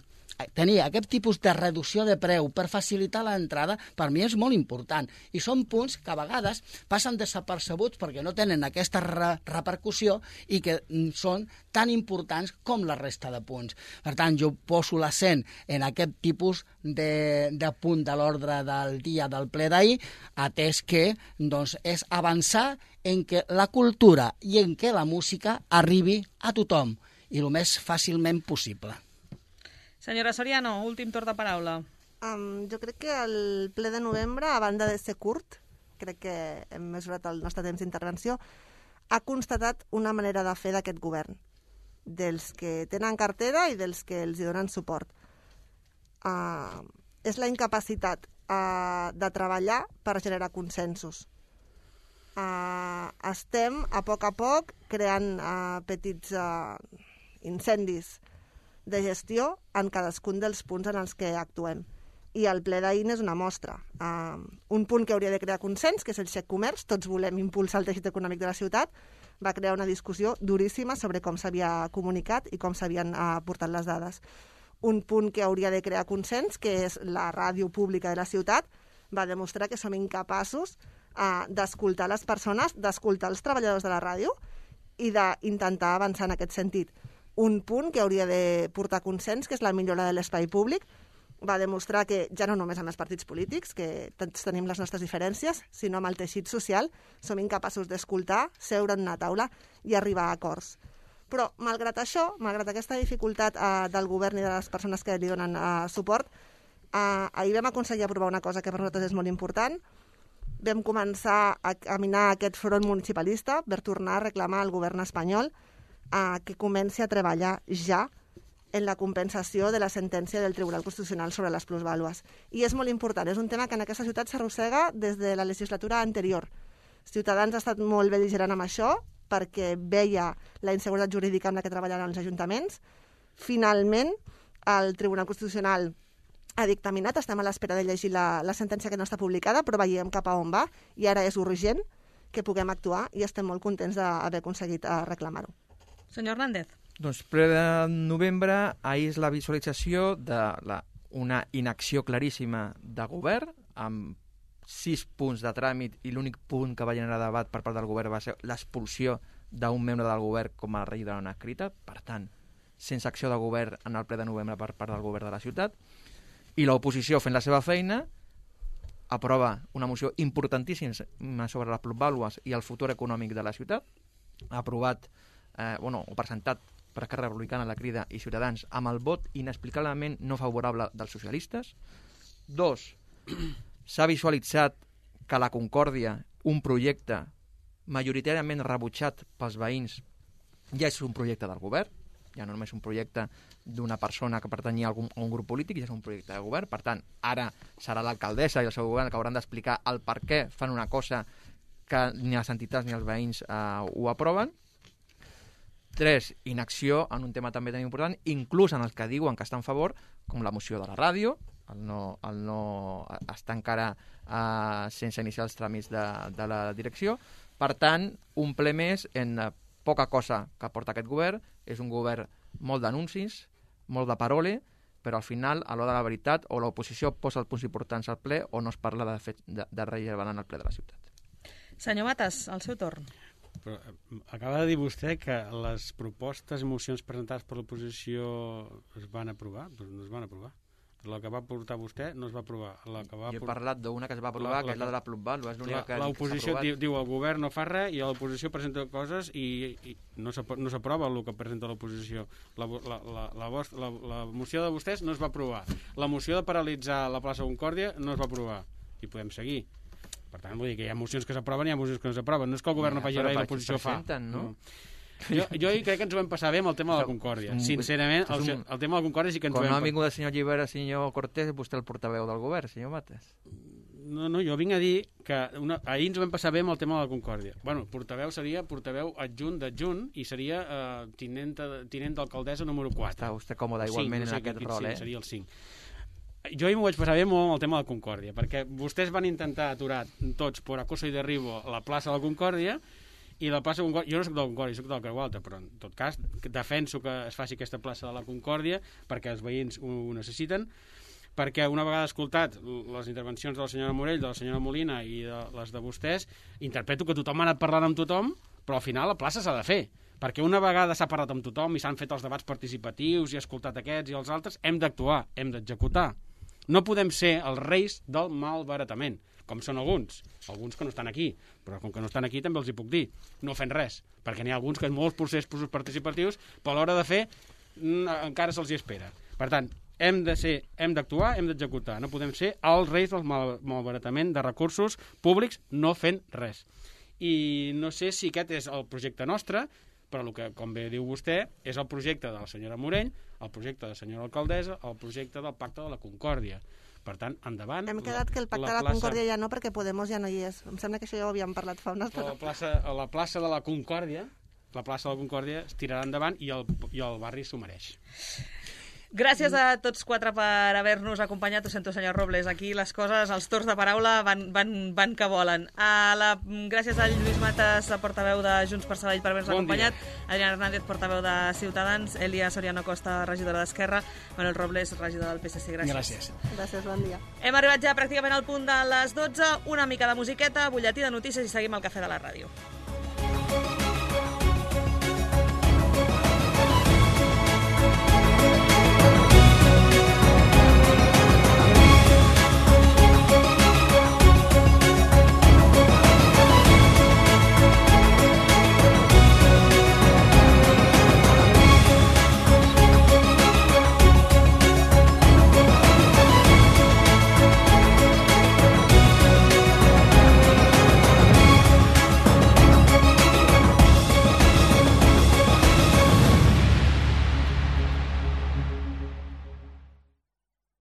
tenir aquest tipus de reducció de preu per facilitar l'entrada, per mi és molt important. I són punts que a vegades passen desapercebuts perquè no tenen aquesta re repercussió i que són tan importants com la resta de punts. Per tant, jo poso l'accent en aquest tipus de, de punt de l'ordre del dia del ple d'ahir, atès que doncs, és avançar en que la cultura i en que la música arribi a tothom i el més fàcilment possible. Senyora Soriano, últim torn de paraula. Um, jo crec que el ple de novembre, a banda de ser curt, crec que hem mesurat el nostre temps d'intervenció, ha constatat una manera de fer d'aquest govern, dels que tenen cartera i dels que els hi donen suport. Uh, és la incapacitat uh, de treballar per generar consensos. Uh, estem, a poc a poc, creant uh, petits uh, incendis de gestió en cadascun dels punts en els que actuem. I el ple d'ahir és una mostra. Uh, un punt que hauria de crear consens, que és el xec comerç, tots volem impulsar el teixit econòmic de la ciutat, va crear una discussió duríssima sobre com s'havia comunicat i com s'havien uh, portat les dades. Un punt que hauria de crear consens, que és la ràdio pública de la ciutat, va demostrar que som incapaços uh, d'escoltar les persones, d'escoltar els treballadors de la ràdio i d'intentar avançar en aquest sentit. Un punt que hauria de portar consens, que és la millora de l'espai públic, va demostrar que ja no només amb els partits polítics, que tots tenim les nostres diferències, sinó amb el teixit social, som incapaços d'escoltar, seure en una taula i arribar a acords. Però, malgrat això, malgrat aquesta dificultat eh, del govern i de les persones que li donen eh, suport, eh, ahir vam aconseguir aprovar una cosa que per nosaltres és molt important. Vam començar a caminar aquest front municipalista per tornar a reclamar al govern espanyol a que comenci a treballar ja en la compensació de la sentència del Tribunal Constitucional sobre les plusvàlues. I és molt important, és un tema que en aquesta ciutat s'arrossega des de la legislatura anterior. Ciutadans ha estat molt bel·ligerant amb això perquè veia la inseguretat jurídica amb la que treballaven els ajuntaments. Finalment, el Tribunal Constitucional ha dictaminat, estem a l'espera de llegir la, la sentència que no està publicada, però veiem cap a on va i ara és urgent que puguem actuar i estem molt contents d'haver aconseguit reclamar-ho. Senyor Hernández. Doncs ple de novembre, ahir és la visualització d'una inacció claríssima de govern, amb sis punts de tràmit, i l'únic punt que va generar debat per part del govern va ser l'expulsió d'un membre del govern com a rei de la escrita. Per tant, sense acció de govern en el ple de novembre per part del govern de la ciutat. I l'oposició, fent la seva feina, aprova una moció importantíssima sobre les plusvàlues i el futur econòmic de la ciutat. Ha aprovat Eh, bueno, o presentat per Esquerra Republicana, La Crida i Ciutadans amb el vot inexplicablement no favorable dels socialistes. Dos, s'ha visualitzat que la Concòrdia, un projecte majoritàriament rebutjat pels veïns, ja és un projecte del govern, ja no només un projecte d'una persona que pertanyia a algun, a un grup polític, ja és un projecte de govern. Per tant, ara serà l'alcaldessa i el seu govern que hauran d'explicar el per què fan una cosa que ni les entitats ni els veïns eh, ho aproven. Tres, inacció en un tema també tan important, inclús en els que diuen que estan a favor, com la moció de la ràdio, el no, el no està encara uh, sense iniciar els tràmits de, de la direcció. Per tant, un ple més en uh, poca cosa que aporta aquest govern. És un govern molt d'anuncis, molt de parole, però al final, a l'hora de la veritat, o l'oposició posa els punts importants al ple o no es parla de, fet, de, de rellevant en el ple de la ciutat. Senyor Matas, al seu torn. Però acaba de dir vostè que les propostes i mocions presentades per l'oposició es van aprovar? Doncs no es van aprovar. La que va portar vostè no es va aprovar. La que va jo he por... parlat d'una que es va aprovar, la, la, que és la de la plusvàlua. És l'única que l'oposició diu, diu el govern no fa res i l'oposició presenta coses i, i no s'aprova el que presenta l'oposició. La, la, la, la, la, la moció de vostès no es va aprovar. La moció de paralitzar la plaça Concòrdia no es va aprovar. I podem seguir. Per tant, vull dir que hi ha mocions que s'aproven i hi ha mocions que no s'aproven. No és que el govern no faci res i l'oposició fa. No? Jo, jo crec que ens ho vam passar bé amb el tema de la Concòrdia. Sincerament, el, el tema de la Concòrdia sí que ens ho vam... Quan no ha vingut el senyor Llibera, el senyor Cortés, vostè el portaveu del govern, senyor Matas. No, no, jo vinc a dir que una, ahir ens ho vam passar bé amb el tema de la Concòrdia. Bueno, portaveu seria portaveu adjunt d'adjunt i seria eh, tinent, tinent d'alcaldessa número quatre. Està vostè còmode igualment cinc, no sé, en aquest rol, eh? Sí, seria el cinc. Jo ahir m'ho vaig passar bé molt amb el tema de la Concòrdia, perquè vostès van intentar aturar tots per acoso i derribo la plaça de la Concòrdia i la plaça Concòrdia, jo no soc de la Concòrdia, soc del Creu Alta, però en tot cas defenso que es faci aquesta plaça de la Concòrdia perquè els veïns ho, ho necessiten, perquè una vegada escoltat les intervencions de la senyora Morell, de la senyora Molina i de les de vostès, interpreto que tothom ha anat parlant amb tothom, però al final la plaça s'ha de fer, perquè una vegada s'ha parlat amb tothom i s'han fet els debats participatius i ha escoltat aquests i els altres, hem d'actuar, hem d'executar. No podem ser els reis del malbaratament, com són alguns, alguns que no estan aquí, però com que no estan aquí també els hi puc dir, no fent res, perquè n'hi ha alguns que en molts processos participatius, però a l'hora de fer encara se'ls hi espera. Per tant, hem de ser, hem d'actuar, hem d'executar, no podem ser els reis del mal, malbaratament de recursos públics no fent res. I no sé si aquest és el projecte nostre, però el que, com bé diu vostè, és el projecte de la senyora Morell, el projecte de la senyora alcaldessa, el projecte del Pacte de la Concòrdia. Per tant, endavant... Hem quedat la, que el Pacte la de la plaça... Concòrdia ja no, perquè Podemos ja no hi és. Em sembla que això ja ho havíem parlat fa una estona. La plaça, la plaça de la Concòrdia, la plaça de la Concòrdia es tirarà endavant i el, i el barri s'ho mereix. Gràcies a tots quatre per haver-nos acompanyat. Ho sento, senyor Robles, aquí les coses, els torns de paraula van, van, van que volen. A la, gràcies a Lluís Matas, portaveu de Junts per Sabadell, per haver-nos bon acompanyat. Dia. Adriana Hernández, portaveu de Ciutadans. Elia Soriano Costa, regidora d'Esquerra. Manuel Robles, regidor del P S C. Gràcies. Gràcies. Gràcies, bon dia. Hem arribat ja pràcticament al punt de les dotze. Una mica de musiqueta, butlletí de notícies i seguim al Cafè de la Ràdio.